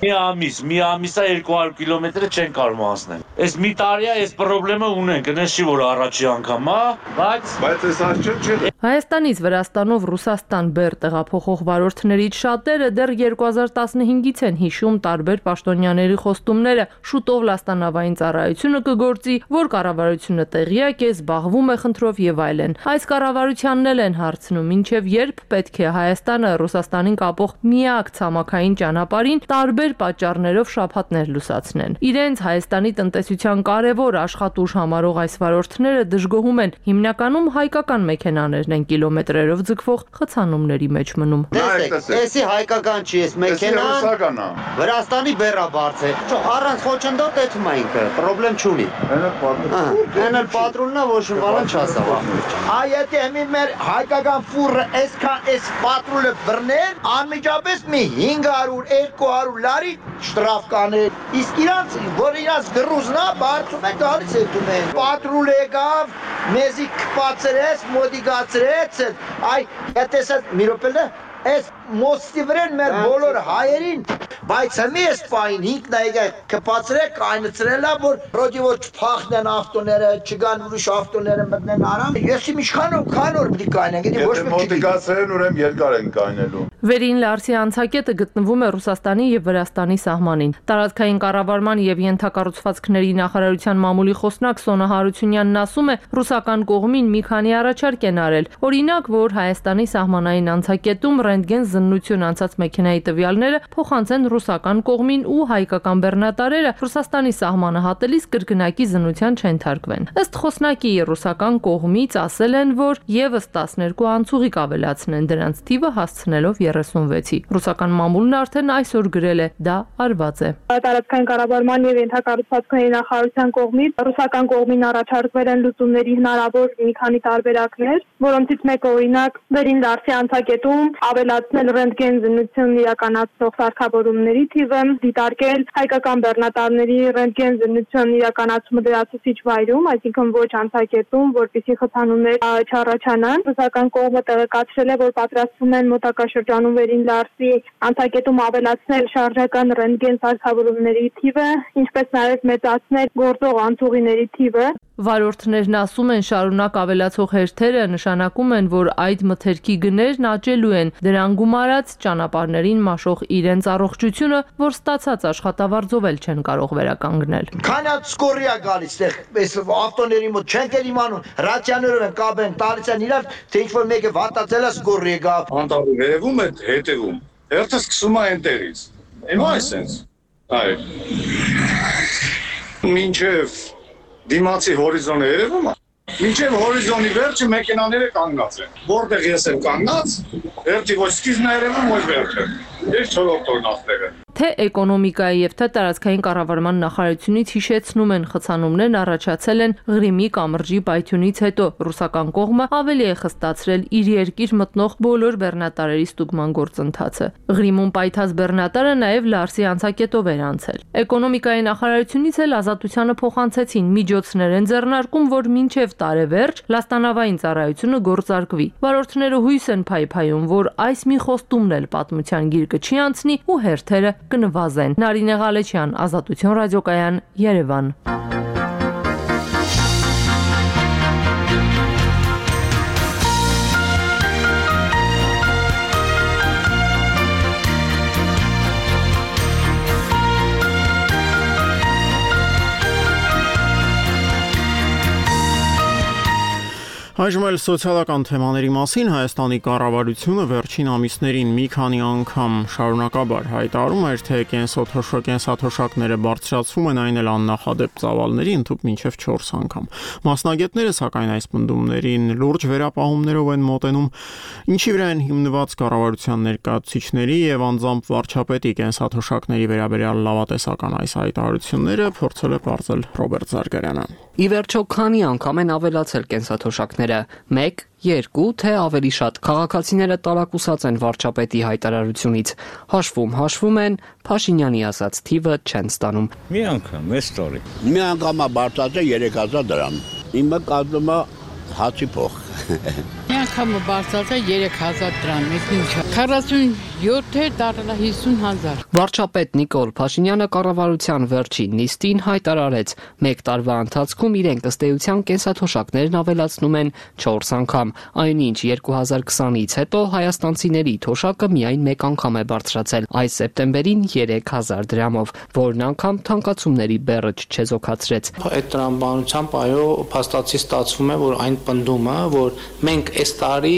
Մի ամիսա 200 կիլոմետրը չեն կարող անցնել։ Այս մի տարի է այս խնդրեմը ունենք, գնես չի որ առաջի անգամ, հա։ Բայց այս աչքը Հայաստանից Վրաստանով Ռուսաստան բեր տեղափոխող վարորդներից շատերը դեռ 2015-ից են հիշում տարբեր պաշտոնյաների խոստումները, շուտով լաստանավային ծառայությունը կգործի, որ կառավարությունը տեղյակ է, զբաղվում է խնդրով եւ այլն։ Այս կառավարությանն էլ են հարցնում, ինչեւ երբ պետք է Հայաստանը Ռուսաստանին կապող միակ ցամաքային ճանապարհին տարբեր պատճառներով շփաթներ լուսացնեն։ Իրենց Հայաստանի տնտեսության կարևոր աշխատուժ համարող այս վարորդները դժգոհում են, հիմնականում հայկական մեքենաներն են կիլոմետրերով ձգվող խցանումների մեջ մնում։ Էսի հայկական չի, էս մեքենան Վրաստանի բեռաբարձ է։ Առանց խոչընդոտ էթում է ինքը, պրոբլեմ չունի։ Այն էլ պատրուլն է, ոչ բան չասա։ Այ եթե մի մեր հայկական ֆուրը այսքան էս պատրուլը բռներ, անմիջապես մի 500-200 լարի շտրաֆ կաներ։ Իսկ իրանց, որ իրանց գրուզնա բարձում են գալիս էթում են։ Պատրուլ եկավ, մեզի կպացրեց, մոդիգացրեց, այ հետեսած մի րոպե Այս մոստի վրեն մեր բոլոր հայերին, բայց հմի ես պային հինքն այգա կպացրեք, այնցրելա, որ ռոդի որ չպախնեն ավտոները, չգան ուրիշ ավտոները մտնեն արամ, ես իմ իշխանով քանոր պիտի կայնեն, գիտի ոչ մեկ մոտիկացրեն ուրեմ երկար են կայնելու։ Վերին Լարսի անցակետը գտնվում է Ռուսաստանի եւ Վրաստանի սահմանին։ Տարածքային կառավարման եւ ենթակառուցվածքների նախարարության մամուլի խոսնակ Սոնա Հարությունյանն ասում է, ռուսական կողմին մի քանի առաջարկ են արել։ Օրինակ, որ Հայաստանի սահմանային անցակետում ռենտգեն զննություն անցած մեքենայի տվյալները փոխանցեն ռուսական կողմին ու հայկական բեռնատարերը Ռուսաստանի սահմանը հատելիս կրկնակի զննության չեն թարգվեն։ Ըստ խոսնակի ռուսական կողմից ասել են, որ եւս 12 անցուղիկ ավելացնեն դրանց թիվը հասցնելով 36-ի։ Ռուսական մամուլն արդեն այսօր գրել է, դա արված է։ Տարածքային կառավարման եւ ենթակառուցվածքների նախարարության կողմից ռուսական կողմին առաջարկվել են լուծումների հնարավոր մի քանի տարբերակներ, որոնցից մեկը օրինակ Վերին Լարսի անցակետում ավելացնել ռենտգեն զննություն իրականացնող սարքավորումների թիվը, դիտարկել հայկական բեռնատարների ռենտգեն զննություն իրականացումը լրացուցիչ վայրում, այսինքն ոչ անցակետում, որպեսզի խցանումներ չառաջանան։ Ռուսական կողմը տեղեկացրել է, որ պատրաստվում են մոտակա շրջանում Վերին Լարսի անցակետում ավելացնել շարժական ռենտգեն սարքավորումների թիվը, ինչպես նաև մեծացնել գործող անցուղիների թիվը։ Վարորդներն ասում են, շարունակ ավելացող հերթերը նշանակում են, որ այդ մթերքի գներն աճելու են, դրան գումարած ճանապարհներին մաշող իրենց առողջությունը, որ ստացած աշխատավարձով էլ չեն կարող վերականգնել։ Քանած սկորիա գալիս, այս ավտոների մոտ չենք էլ իմանում, ռադիաներով են կապեն, տալիս են իրար, թե ինչ-որ մեկը վատացել է սկորի եկավ։ Անտառի վերևում է հետևում, հերթը սկսում է այնտեղից։ Հիմա այսենց։ Այ։ Մինչև դիմացի հորիզոնը երևում է։ Մինչև հորիզոնի վերջը մեքենաները կանգնած են։ Որտեղ ես եմ կանգնած, վերջի ոչ սկիզբն է երևում, ոչ վերջը։ Ես չորրորդն աստեղ եմ։ Թե էկոնոմիկայի եւ թե տարածքային կառավարման նախարարությունից հիշեցնում են, խցանումներն առաջացել են Ղրիմի կամրջի պայթյունից հետո։ Ռուսական կողմը ավելի է խստացրել իր երկիր մտնող բոլոր բեռնատարերի ստուգման գործընթացը։ Ղրիմում պայթած բեռնատարը նաեւ Լարսի անցակետով էր անցել։ Էկոնոմիկայի նախարարությունից էլ ազատությանը փոխանցեցին միջոցներ են ձեռնարկում, որ մինչև տարեվերջ լաստանավային ծառայությունը գործարկվի։ Վարորդները հույս են փայփայում, որ այս մի խոստումն էլ պատմության գիրկը չի անցնի ու հերթերը կնվազեն։ Նարինե Ղալեչյան, Ազատություն ռադիոկայան, Երևան։ Այժմ էլ սոցիալական թեմաների մասին Հայաստանի կառավարությունը վերջին ամիսներին մի քանի անգամ շարունակաբար հայտարարում էր, թե կենսաթոշակները բարձրացվում են, այն էլ աննախադեպ ծավալների ընդհանուր մինչև 4 անգամ։ Մասնագետները սակայն այս պնդումներին լուրջ վերապահումներով են մոտենում, ինչի վրա են հիմնված կառավարության ներկայացուցիչների եւ անձամբ վարչապետի կենսաթոշակների վերաբերյալ լավատեսական այս հայտարարությունները փորձել է բարձել Ռոբերտ Զարգարյանը։ Ի վերջո քանի անգամ են ավելացել կենսաթոշակները, 1, 2, թե ավելի շատ։ Քաղաքացիները տարակուսած են վարչապետի հայտարարությունից։ Հաշվում են, Փաշինյանի ասած թիվը չեն ստանում։ Մի անգամ, այս տարի։ Մի անգամ բարձրացել 3000 դրամ։ Իմը կազմում է հացի փող։ Մի անգամ բարձրացա 3000 դրամ, ինչա։ 47-ը դառնա 50000։ Վարչապետ Նիկոլ Փաշինյանը կառավարության վերջին նիստին հայտարարեց, 1 տարվա ընթացքում իրենք ըստ էության կենսաթոշակներն ավելացնում են 4 անգամ, այնինչ 2020-ից հետո հայաստանցիների թոշակը միայն 1 անգամ է բարձրացել, այս սեպտեմբերին 3000 դրամով, որն անգամ թանկացումների բեռը չչեզոքացրեց։ Այդ տրամաբանությամբ այո, փաստացի ստացվում է, որ այն պնդումը, որ մենք այս տարի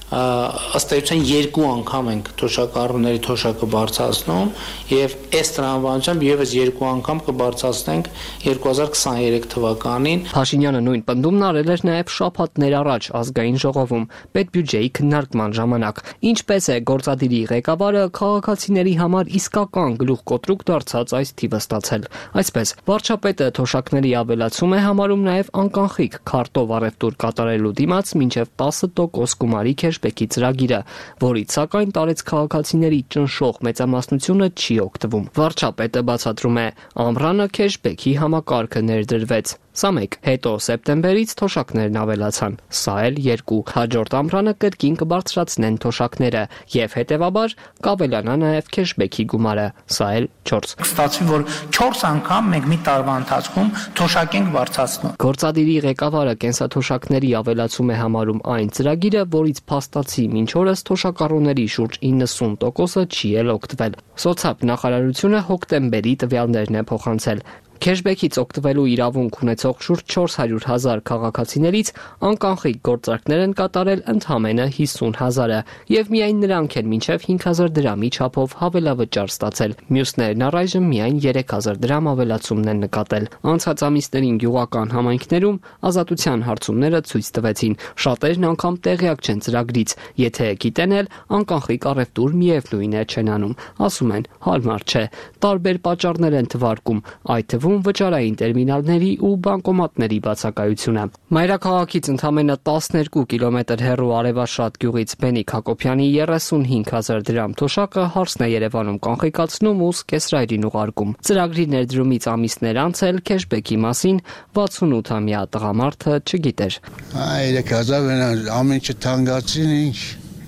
ըստ էության 2 անգամ ենք թոշակառուների թոշակը բարձրացնում եւ այս տրամաբանությամբ եւս 2 անգամ կբարձրացնենք 2023 թվականին։ Փաշինյանը նույն պնդումն արել էր նաեւ շաբաթներ առաջ ազգային ժողովում պետբյուջեի քննարկման ժամանակ։ Ինչպես է գործադիրի ղեկավարը քաղաքացիների համար իսկական գլուխկոտրուկ դարձած այս թիվը ստացել։ Այսպես վարչապետը թոշակների ավելացում է համարում նաեւ անկանխիկ քարտով առևտուր կատարելու դիմաց մինչեւ 10% գումարի քեշբեքի ծրագիրը, որից սակայն տարեց քաղաքացիների ճնշող մեծամասնությունը չի օգտվում։ Վարչապետը բացատրում է, ամռանը քեշբեքի համակարգը ներդրվեց։ Սա 1, հետո սեպտեմբերից թոշակներն ավելացան, սա էլ 2, հաջորդ ամռանը կրկին կբարձրացնեն թոշակները եւ հետեւաբար կավելանա նաեւ քեշբեքի գումարը, սա էլ 4։ Ստացվի, որ 4 անգամ մենք մի տարվա ընթացքում թոշակ ենք բարձրացնում։ Գործադիրի ղեկավարը կենսաթոշակների ավելացում է համարում այն ծրագիրը, որից փաստացի մինչ օրս թոշակառուների շուրջ 90%-ը չի էլ օգտվել։ Սոցիալ նախարարությունը հոկտեմբերի տվյալներն է փոխանցել։ Քեշբեքից օգտվելու իրավունք ունեցող շուրջ 400,000 քաղաքացիներից անկանխիկ գործարքներ են կատարել ընդամենը 50,000-ը եւ միայն նրանք են մինչեւ 5,000 դրամի չափով հավելավճար ստացել։ Մյուսներն առայժմ միայն 3,000 դրամ ավելացումն են նկատել։ Անցած ամիսներին գյուղական համայնքներում ազատության հարցումները ցույց տվեցին։ Շատերն անգամ տեղյակ չեն ծրագրից, եթե գիտեն էլ անկանխիկ առևտուր միևնույն է չեն անում։ Ասում են, հարմար չէ։ Տարբեր պատճառներ են թվարկում, այդ թվում վճարային տերմինալների ու բանկոմատների բացակայությունը։ Մայրաքաղաքից ընդամենը 12 կիլոմետր հեռու Արևաշատ գյուղից Բենիկ Հակոբյանի 35,000 դրամ թոշակը հարսն է Երևանում կանխիկացնում ու սկեսրայրին ուղարկում։ Ծրագրի ներդրումից ամիսներ անց էլ քեշբեքի մասին 68-ամյա տղամարդը չգիտեր։ 3000 ամեն ինչ թանկացին,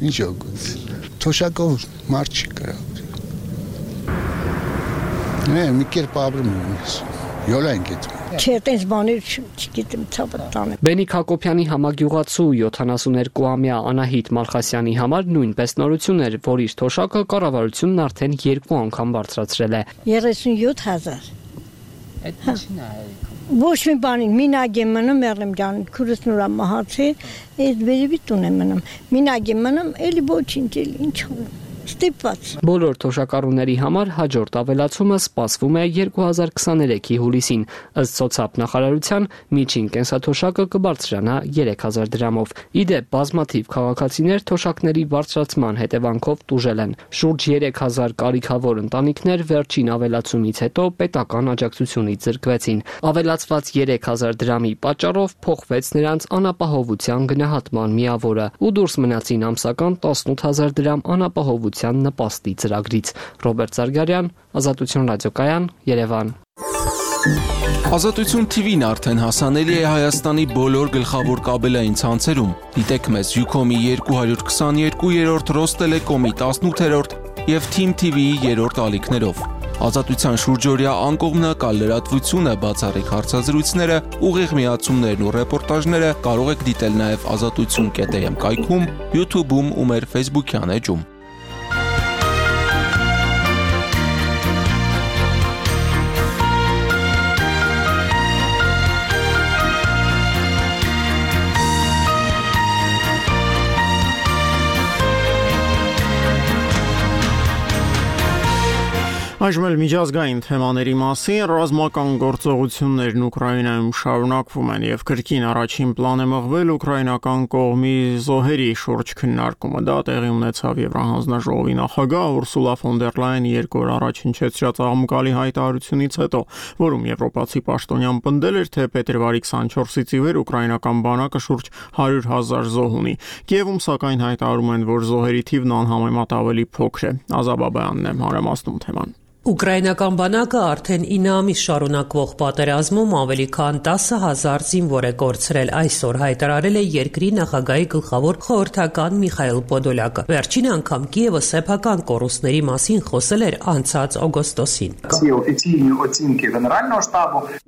ինչ օգուտ։ Թոշակով մարդ չի կարող։ Մի կերպ ապրում եմ։ Յոլա ենք այդ։ Չէ, տես բաներ չգիտեմ ցավը տանը։ Բենիկ Հակոբյանի համագյուղացու 72-ամյա Անահիտ Մալխասյանի համար նույնպես նորություն էր, որ իր թոշակը կառավարությունն արդեն 2 անգամ բարձրացրել է։ 37000։ Այդ ինչին է։ Ոչ մի բանի, մինագ եմ մնում, մեռնեմ ջան, քուրս նորա մահացի, այդ վերևի տուն եմ մնում։ Մինագ եմ մնում, էլի ոչինչ, էլի ինչ անեմ։ Ստիպված։ Բոլոր թոշակառուների համար հաջորդ ավելացումը սպասվում է 2023-ի հուլիսին։ Ըստ սոցիալ նախարարության միջին կենսաթոշակը կբարձրանա 3000 դրամով։ Իդեպ բազմաթիվ քաղաքացիներ թոշակների բարձրացման հետևանքով տուժել են։ Շուրջ 3000 կարիքավոր ընտանիքներ վերջին ավելացումից հետո պետական աջակցությունից զրկվեցին։ Ավելացված 3000 դրամի պատճառով փոխվեց նրանց անապահովության գնահատման միավորը ու դուրս մնացին ամսական 18000 դրամ անապահովության նպաստի ծրագրից։ Ռոբերտ Զարգարյան, Ազատություն ռադիոկայան, Երևան։ Ազատություն TV-ն արդեն հասանելի է Հայաստանի բոլոր գլխավոր կաբելային ցանցերում։ Դիտեք մեզ Ucom-ի 222-րդ, Ռոստելեկոմի 18-րդ եւ Team TV-ի 3-րդ ալիքներով։ Ազատության շուրջօրյա անկողմնակալ լրատվությունը, բացառիկ հարցազրույցները, ուղիղ միացումներն ու ռեպորտաժները կարող եք դիտել նաև azatutsun.am կայքում, YouTube-ում ու մեր Facebook-յան էջում։ Այժմ էլ միջազգային թեմաների մասին ռազմական գործողություններն Ուկրաինայում շարունակվում են եւ քրքին առաջին պլան է մղվել ուկրաինական կողմի զոհերի շուրջ քննարկումը։ Դա տեղի ունեցավ Եվրահանձնաժողովի նախագահ Ուրսուլա ֆոն դեր Լայենի 2 օր առաջ հնչեցրած աղմկալի հայտարարությունից հետո, որում եվրոպացի պաշտոնյան պնդել էր, թե փետրվարի 24-ից ի վեր ուկրաինական բանակը շուրջ 100,000 զոհ ունի։ Կիևում սակայն հայտարարում են, որ զոհերի թիվն անհամեմատ ավելի փոքր է։ Ազաբաբյանն է մանրամասնում թեման։ Ուկրաինական բանակը արդեն 9 ամիս շարունակվող պատերազմում ավելի քան 10,000 զինվոր է կորցրել, այսօր հայտարարել է երկրի նախագահի գլխավոր խորհրդական Միխայիլ Պոդոլյակը։ Վերջին անգամ Կիևը սեփական կորուստների մասին խոսել էր անցած օգոստոսին։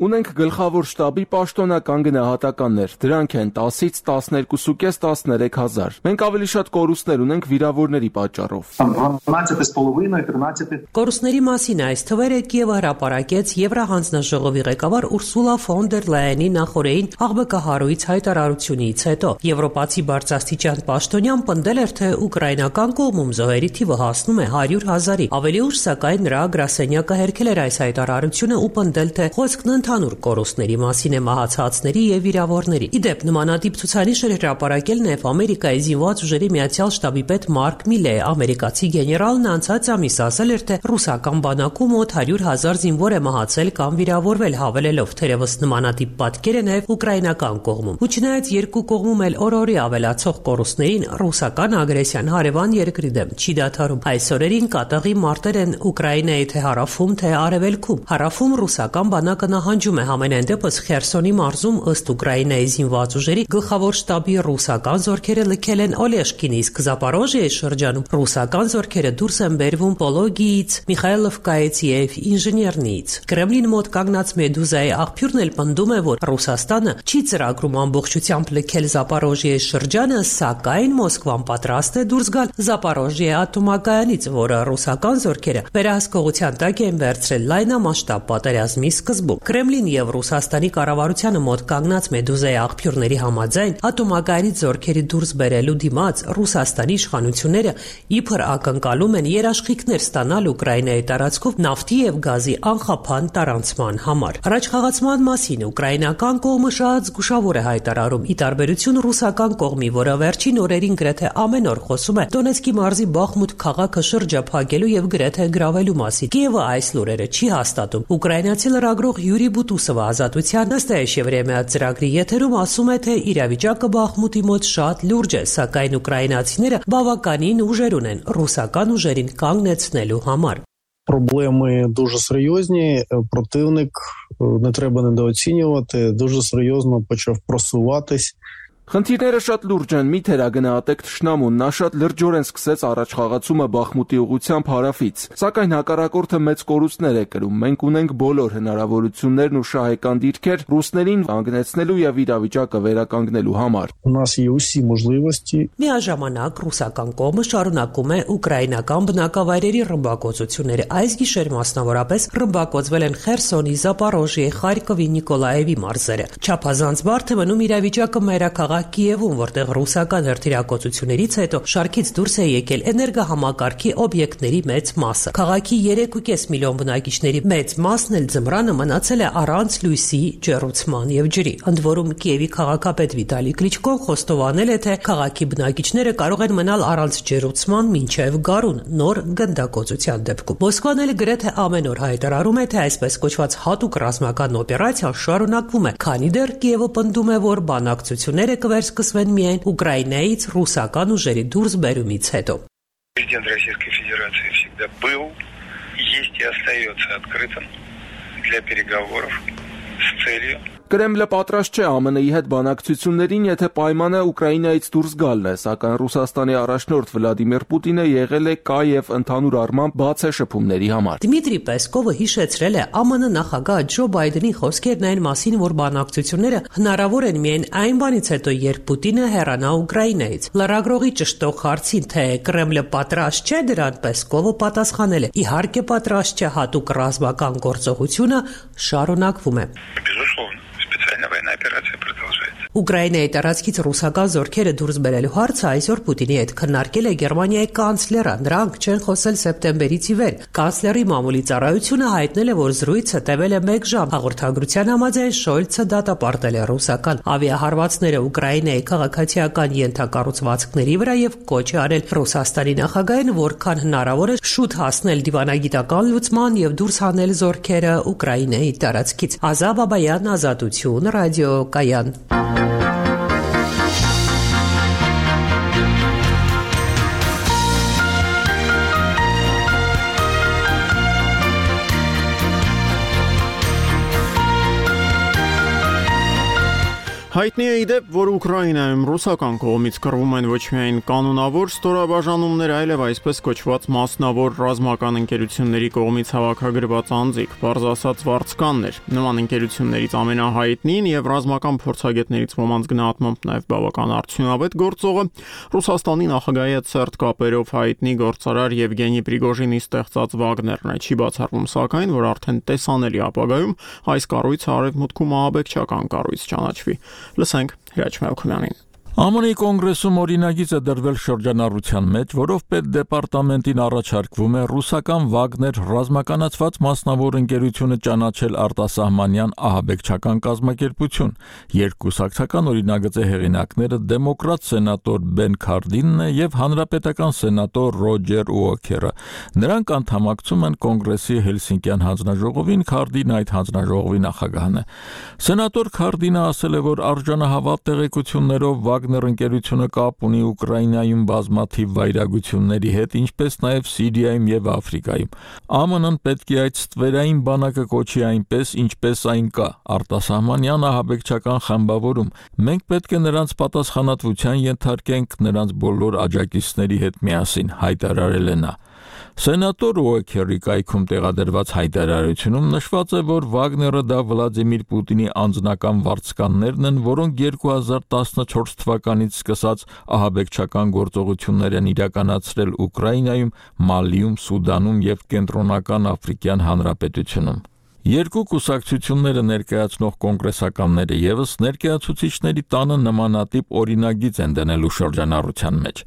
Ունենք գլխավոր շտաբի պաշտոնական գնահատականներ, դրանք են 10-ից 12,5-13 հազար։ Մենք ավելի շատ կորուստներ ունենք վիրավորների պատճառով։ Կորուստների մասին այս թվերը Կիևը հրապարակեց Եվրահանձնաժողովի ղեկավար Ուրսուլա ֆոն դեր Լայենի նախորդին աղբկահարույց հայտարարությունից հետո։ Եվրոպացի բարձրաստիճան պաշտոնյան պնդել էր, թե ուկրաինական կողմում զոհերի թիվը հասնում է 100,000-ի։ Ավելի ուշ, սակայն, նրա գրասենյակը հերքել էր այս հայտարարությունը ու պնդել, թե խոսքն ընդհանուր կորուստների մասին է մահացածների եւ վիրավորների։ Իդեպ նմանատիպ ցուցանիշ էր հրապարակել նաեւ Ամերիկայի զինված ուժերի միացյալ շտաբի պետ Մարկ Միլե։ Ամերիկացի գեներալն անցած ամիս ասել էր, թե ռուսական բանակում մոտ 100,000 զինվոր է մահացել կամ վիրավորվել, հավելելով, թերևս նմանատիպ պատկեր է նաև ուկրաինական կողմում։ Ու չնայած երկու կողմում էլ օր-օրի ավելացող կորուստներին, ռուսական ագրեսիան հարևան երկրի դեմ չի դադարում։ Այս օրերին կատաղի մարտեր են Ուկրաինայի թե հարավում, թե արևելքում։ Հարավում ռուսական բանակը նահանջում է համենայն դեպս Խերսոնի մարզում, ըստ Ուկրաինայի զինված ուժերի գլխավոր շտաբի ռուսական զորքերը լքել են Օլեշկին, իսկ Զապորոժիայի շրջանում ռուսական զորքերը դուրս են բերվում Պոլոգիից, Միխայիլովկայից եւ Ինժեներնիից։ Կրեմլին մոտ կանգնած Մեդուզայի աղբյուրն էլ պնդում է, որ Ռուսաստանը չի ծրագրում ամբողջությամբ լքել Զապորոժիայի շրջանը, սակայն Մոսկվան պատրաստ է դուրս գալ Զապորոժիայի ատոմակայանից, որը ռուսական զորքերը վերահսկողության տակ են վերցրել լայնամասշտաբ պատերազմի սկզբում։ Կրեմլին եւ Ռուսաստանի կառավարությանը մոտ կանգնած Մեդուզայի աղբյուրների համաձայն ատոմակայանից զորքերի դուրս բերելու դիմաց Ռուսաստանի իշխանությունները իբր ակնկալում են երաշխիքներ ստանալ Ուկրաինայի տարածքով նավթի եւ գազի անխափան տարանցման համար։ Առաջխաղացման մասին ուկրաինական կողմը շատ զգուշավոր է հայտարարում, ի տարբերություն ռուսական կողմի, որը վերջին օրերին գրեթե ամեն օր խոսում է Դոնեցկի մարզի Բախմուտ քաղաքը շրջափակելու եւ գրեթե գրավելու մասին։ Կիևը այս լուրերը չի հաստատում։ Ուկրաինացի լրագրող Յուրի Բուտուսովը Ազատության Նաստայեշևրեմիա ծրագրի եթերում ասում է, թե իրավիճակը Բախմուտի մոտ շատ լուրջ է, սակայն ուկրաինացիները բավականին ուժեր ունեն ռուսական ուժերին կանգնեցնելու համար։ Проблеми дуже серйозні, противник, не треба недооцінювати, дуже серйозно почав просуватись. Խնդիրները շատ լուրջ են, մի թերագնահատեք թշնամուն, նա շատ լրջորեն սկսեց առաջխաղացումը Բախմուտի ուղղությամբ հարավից, սակայն հակառակորդը մեծ կորուստներ է կրում։ Մենք ունենք բոլոր հնարավորություններն ու շահեկան դիրքեր ռուսներին կանգնեցնելու եւ իրավիճակը վերականգնելու համար։ У нас є усі можливості. Միաժամանակ ռուսական կողմը շարունակում է ուկրաինական բնակավայրերի ռմբակոծությունները։ Այս գիշեր մասնավորապես ռմբակոծվել են Խերսոնի, Զապորոժիայի, Խարկովի, Նիկոլաևի մարզերը։ Չափազանց բարդ է մնում իրավիճակը մայրաքաղաք Կիևում, որտեղ ռուսական հրթիռակոծություններից հետո շարքից դուրս է եկել էներգահամակարգի օբյեկտների մեծ մասը։ Քաղաքի 3.5 միլիոն բնակիչների մեծ մասն էլ ձմռանը մնացել է առանց լույսի, ջեռուցման եւ ջրի։ Ընդ որում Կիևի քաղաքապետ Վիտալի Կլիչկոն խոստովանել է, թե քաղաքի բնակիչները կարող են մնալ առանց ջեռուցման մինչև գարուն նոր գնդակոծության դեպքում։ Մոսկվան էլ գրեթե ամեն օր հայտարարում է, թե այսպես կոչված հատուկ ռազմական օպերացիան շարունակվում է, քանի դեռ Կիևը պնդում է, որ բանակցությունները վերսկսվեն միայն Ուկրաինայից ռուսական ուժերի դուրսբերումից հետո։ Президент Российской Федерации всегда был, есть и остается открытым для переговоров с целью Կրեմլը պատրաստ չէ ԱՄՆ-ի հետ բանակցություններին, եթե պայմանը Ուկրաինայից դուրս գալն է, սակայն Ռուսաստանի առաջնորդ Վլադիմիր Պուտինը եղել է կա եւ ընդհանուր առմամբ բաց է շփումների համար։ Դմիտրի Պեսկովը հիշեցրել է ԱՄՆ նախագահ Ջո Բայդենի խոսքերն այն մասին, որ բանակցությունները հնարավոր են միայն այն բանից հետո, երբ Պուտինը հեռանա Ուկրաինայից։ Լրագրողի ճշտող հարցին, թե Կրեմլը պատրաստ չէ դրան, Պեսկովը պատասխանել է. իհարկե պատրաստ չէ, հատուկ ռազմական գործողությունը շարունակվում է։ Военная операция продолжается. Ուկրաինայի տարածքից ռուսական զորքերը դուրս բերելու հարցը այսօր Պուտինի հետ քննարկել է Գերմանիայի կանցլերը։ Նրանք չեն խոսել սեպտեմբերից ի վեր։ Կանցլերի մամուլի ծառայությունը հայտնել է, որ զրույցը տևել է 1 ժամ։ Հաղորդագրության համաձայն Շոլցը դատապարտել է ռուսական ավիահարվածները Ուկրաինայի քաղաքացիական ենթակառուցվածքների վրա եւ կոչ է արել Ռուսաստանի նախագահին, որքան հնարավոր է շուտ հասնել դիվանագիտական լուծման եւ դուրս հանել զորքերը Ուկրաինայի տարածքից։ Ազա Բաբայան, Ազատություն, ռադիոկայան։ Հայտնի է իդեպ, որ Ուկրաինայում ռուսական կողմից կռվում են ոչ միայն կանոնավոր ստորաբաժանումներ, այլև այսպես կոչված մասնավոր ռազմական ընկերությունների կողմից հավաքագրված անձիկ, բարձ ասած վարձկաններ։ Նման ընկերություններից ամենահայտնին եւ ռազմական փորձագետներից ոմանց գնահատմամբ նաեւ բավական արդյունավետ գործողը Ռուսաստանի նախագահի հետ սերտ կապերով հայտնի գործարար Եվգենի Պրիգոժինի ստեղծած Վագներն է։ Չի բացառվում սակայն, որ արդեն տեսանելի ապագայում այս կառույցը արևմուտքում ահաբեկչական կառույց ճանաչվի։ Լսենք Հրաչ Մելքումյանին։ ԱՄՆ-ի կոնգրեսում օրինագիծ է դրվել շրջանառության մեջ, որով պետդեպարտամենտին առաջարկվում է ռուսական Վագներ ռազմականացված մասնավոր ընկերությունը ճանաչել արտասահմանյան ահաբեկչական կազմակերպություն։ Երկկուսակցական օրինագծի հեղինակները դեմոկրատ սենատոր Բեն Քարդինն է եւ հանրապետական սենատոր Ռոջեր Ուոքերը։ Նրանք անդամակցում են կոնգրեսի Հելսինկյան հանձնաժողովին, Քարդինը այդ հանձնաժողովի նախագահն է։ Սենատոր Քարդինը ասել է, որ արժանահավատ տեղեկություններով Վագներ ընկերությունը կապ ունի Ուկրաինայում բազմաթիվ վայրագությունների հետ, ինչպես նաև Սիրիայում եւ Աֆրիկայում։ ԱՄՆ-ն պետք է այդ ստվերային բանակը կոչի այնպես, ինչպես այն կա՝ արտասահմանյան ահաբեկչական խմբավորում։ Մենք պետք է նրանց պատասխանատվության ենթարկենք նրանց բոլոր աջակիցների հետ միասին, հայտարարել է նա։ Սենատոր Ուոքերի կայքում տեղադրված հայտարարությունում նշված է, որ Վագները դա Վլադիմիր Պուտինի անձնական վարձկաններն են, որոնք 2014 թվականից սկսած ահաբեկչական գործողություններ են իրականացրել Ուկրաինայում, Մալիում, Սուդանում եւ Կենտրոնական Աֆրիկյան Հանրապետությունում։ Երկու կուսակցությունները ներկայացնող կոնգրեսականները եւս ներկայացուցիչների տանը նմանատիպ օրինագիծ են դնելու շրջանառության մեջ։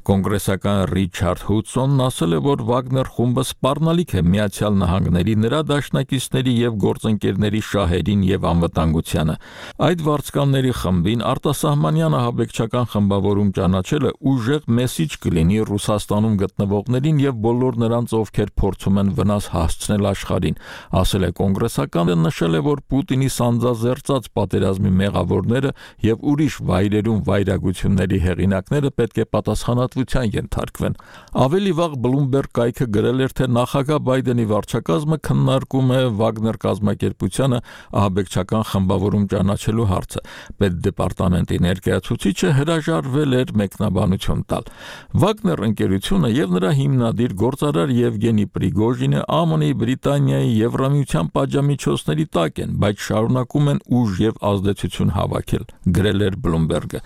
Կոնգրեսական Ռիչարդ Հուդսոնն ասել է, որ Վագներ խումբը սպառնալիք է Միացյալ Նահանգների, նրա դաշնակիցների եւ գործընկերների շահերին եւ անվտանգությանը։ Այդ վարձկանների խմբին արտասահմանյան ահաբեկչական խմբավորում ճանաչելը ուժեղ մեսիջ կլինի Ռուսաստանում գտնվողներին եւ բոլոր նրանց, ովքեր փորձում են վնաս հասցնել աշխարհին, ասել է կոնգրեսականը, նշել է, որ Պուտինի սանձազերծած պատերազմի մեղավորները եւ ուրիշ վայրերում վայրագությունների հեղինակները պետք է պատասխանատվության ենթարկվեն։ Ավելի վաղ Bloomberg կայքը գրել էր, թե նախագահ Բայդենի վարչակազմը քննարկում է Վագներ կազմակերպությանը ահաբեկչական խմբավորում ճանաչելու հարցը։ Պետդեպարտամենտի ներկայացուցիչը հրաժարվել էր մեկնաբանություն տալ։ Վագներ ընկերությունը եւ նրա հիմնադիր գործարար Եվգենի Պրիգոժինը ԱՄՆ-ի, Բրիտանիայի, Եվրամիության պատժամիջոցների տակ են, բայց շարունակում են ուժ եւ ազդեցություն հավաքել, գրել էր Bloomberg-ը։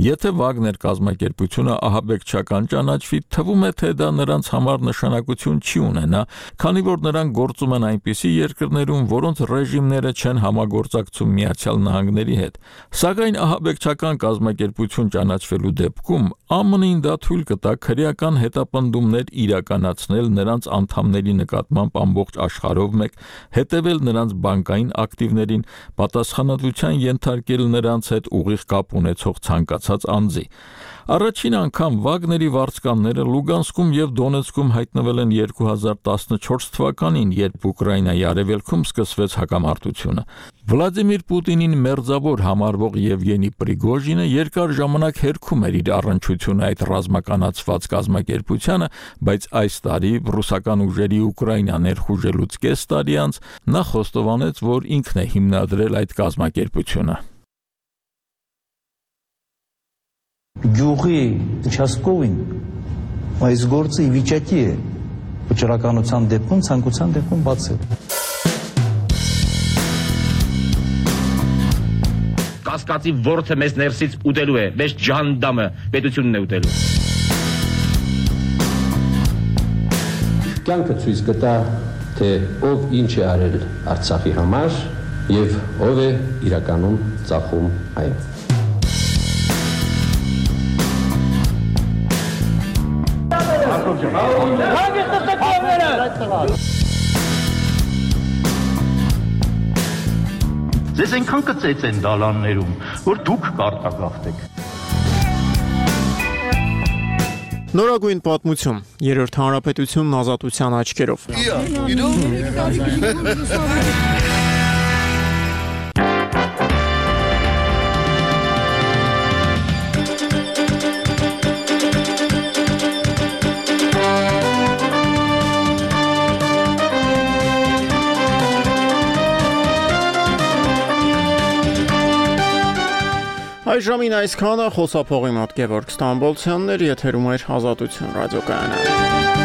Եթե Վագներ կազմակերպությունը ահաբեկչական ճանաչվի, թվում է, թե դա նրանց համար նշանակություն չի ունենա, քանի որ նրանք գործում են այնպիսի երկրներում, որոնց ռեժիմները չեն համագործակցում Միացյալ Նահանգների հետ։ Սակայն ահաբեկչական կազմակերպություն ճանաչվելու դեպքում ԱՄՆ-ին դա թույլ կտա քրեական հետապնդումներ իրականացնել նրանց անդամների նկատմամբ ամբողջ աշխարհով մեկ, հետևել նրանց բանկային ակտիվներին, պատասխանատվության ենթարկել նրանց հետ ուղիղ կապ ունեցող ցանկացած անձի։ Առաջին անգամ Վագների վարձկանները Լուգանսկում եւ Դոնեցկում հայտնվել են 2014 թվականին, երբ Ուկրաինայի արևելքում սկսվեց հակամարտությունը։ Վլադիմիր Պուտինին մերձավոր համարվող Եվգենի Պրիգոժինը երկար ժամանակ հերքում էր իր առնչությունը այդ ռազմականացված կազմակերպությանը, բայց այս տարի ռուսական ուժերի Ուկրաինա ներխուժելուց կես տարի անց նա խոստովանեց, որ ինքն է հիմնադրել այդ կազմակերպությունը։ Գյուղի участковին այս գործը ի վիճակի է վճռականության դեպքում, ցանկության դեպքում բացել։ Կասկածի ворթը մեզ ներսից ուտելու է, մեզ ջանդամը պետությունն է ուտելու։ Կյանքը ցույց կտա, թե ով ինչ է արել Արցախի համար եւ ով է իրականում ծախում այն։ Ձեզ այնքան կծեց են դալաններում, որ դուք կարտագաղթեք։ Նորագույն պատմություն, երրորդ հանրապետությունն ազատության աչքերով։ Այժմին այսքանը խոսափողի մոտ Գևորգ Ստամբոլցյանն էր, եթերում էր Ազատություն ռադիոկայանը։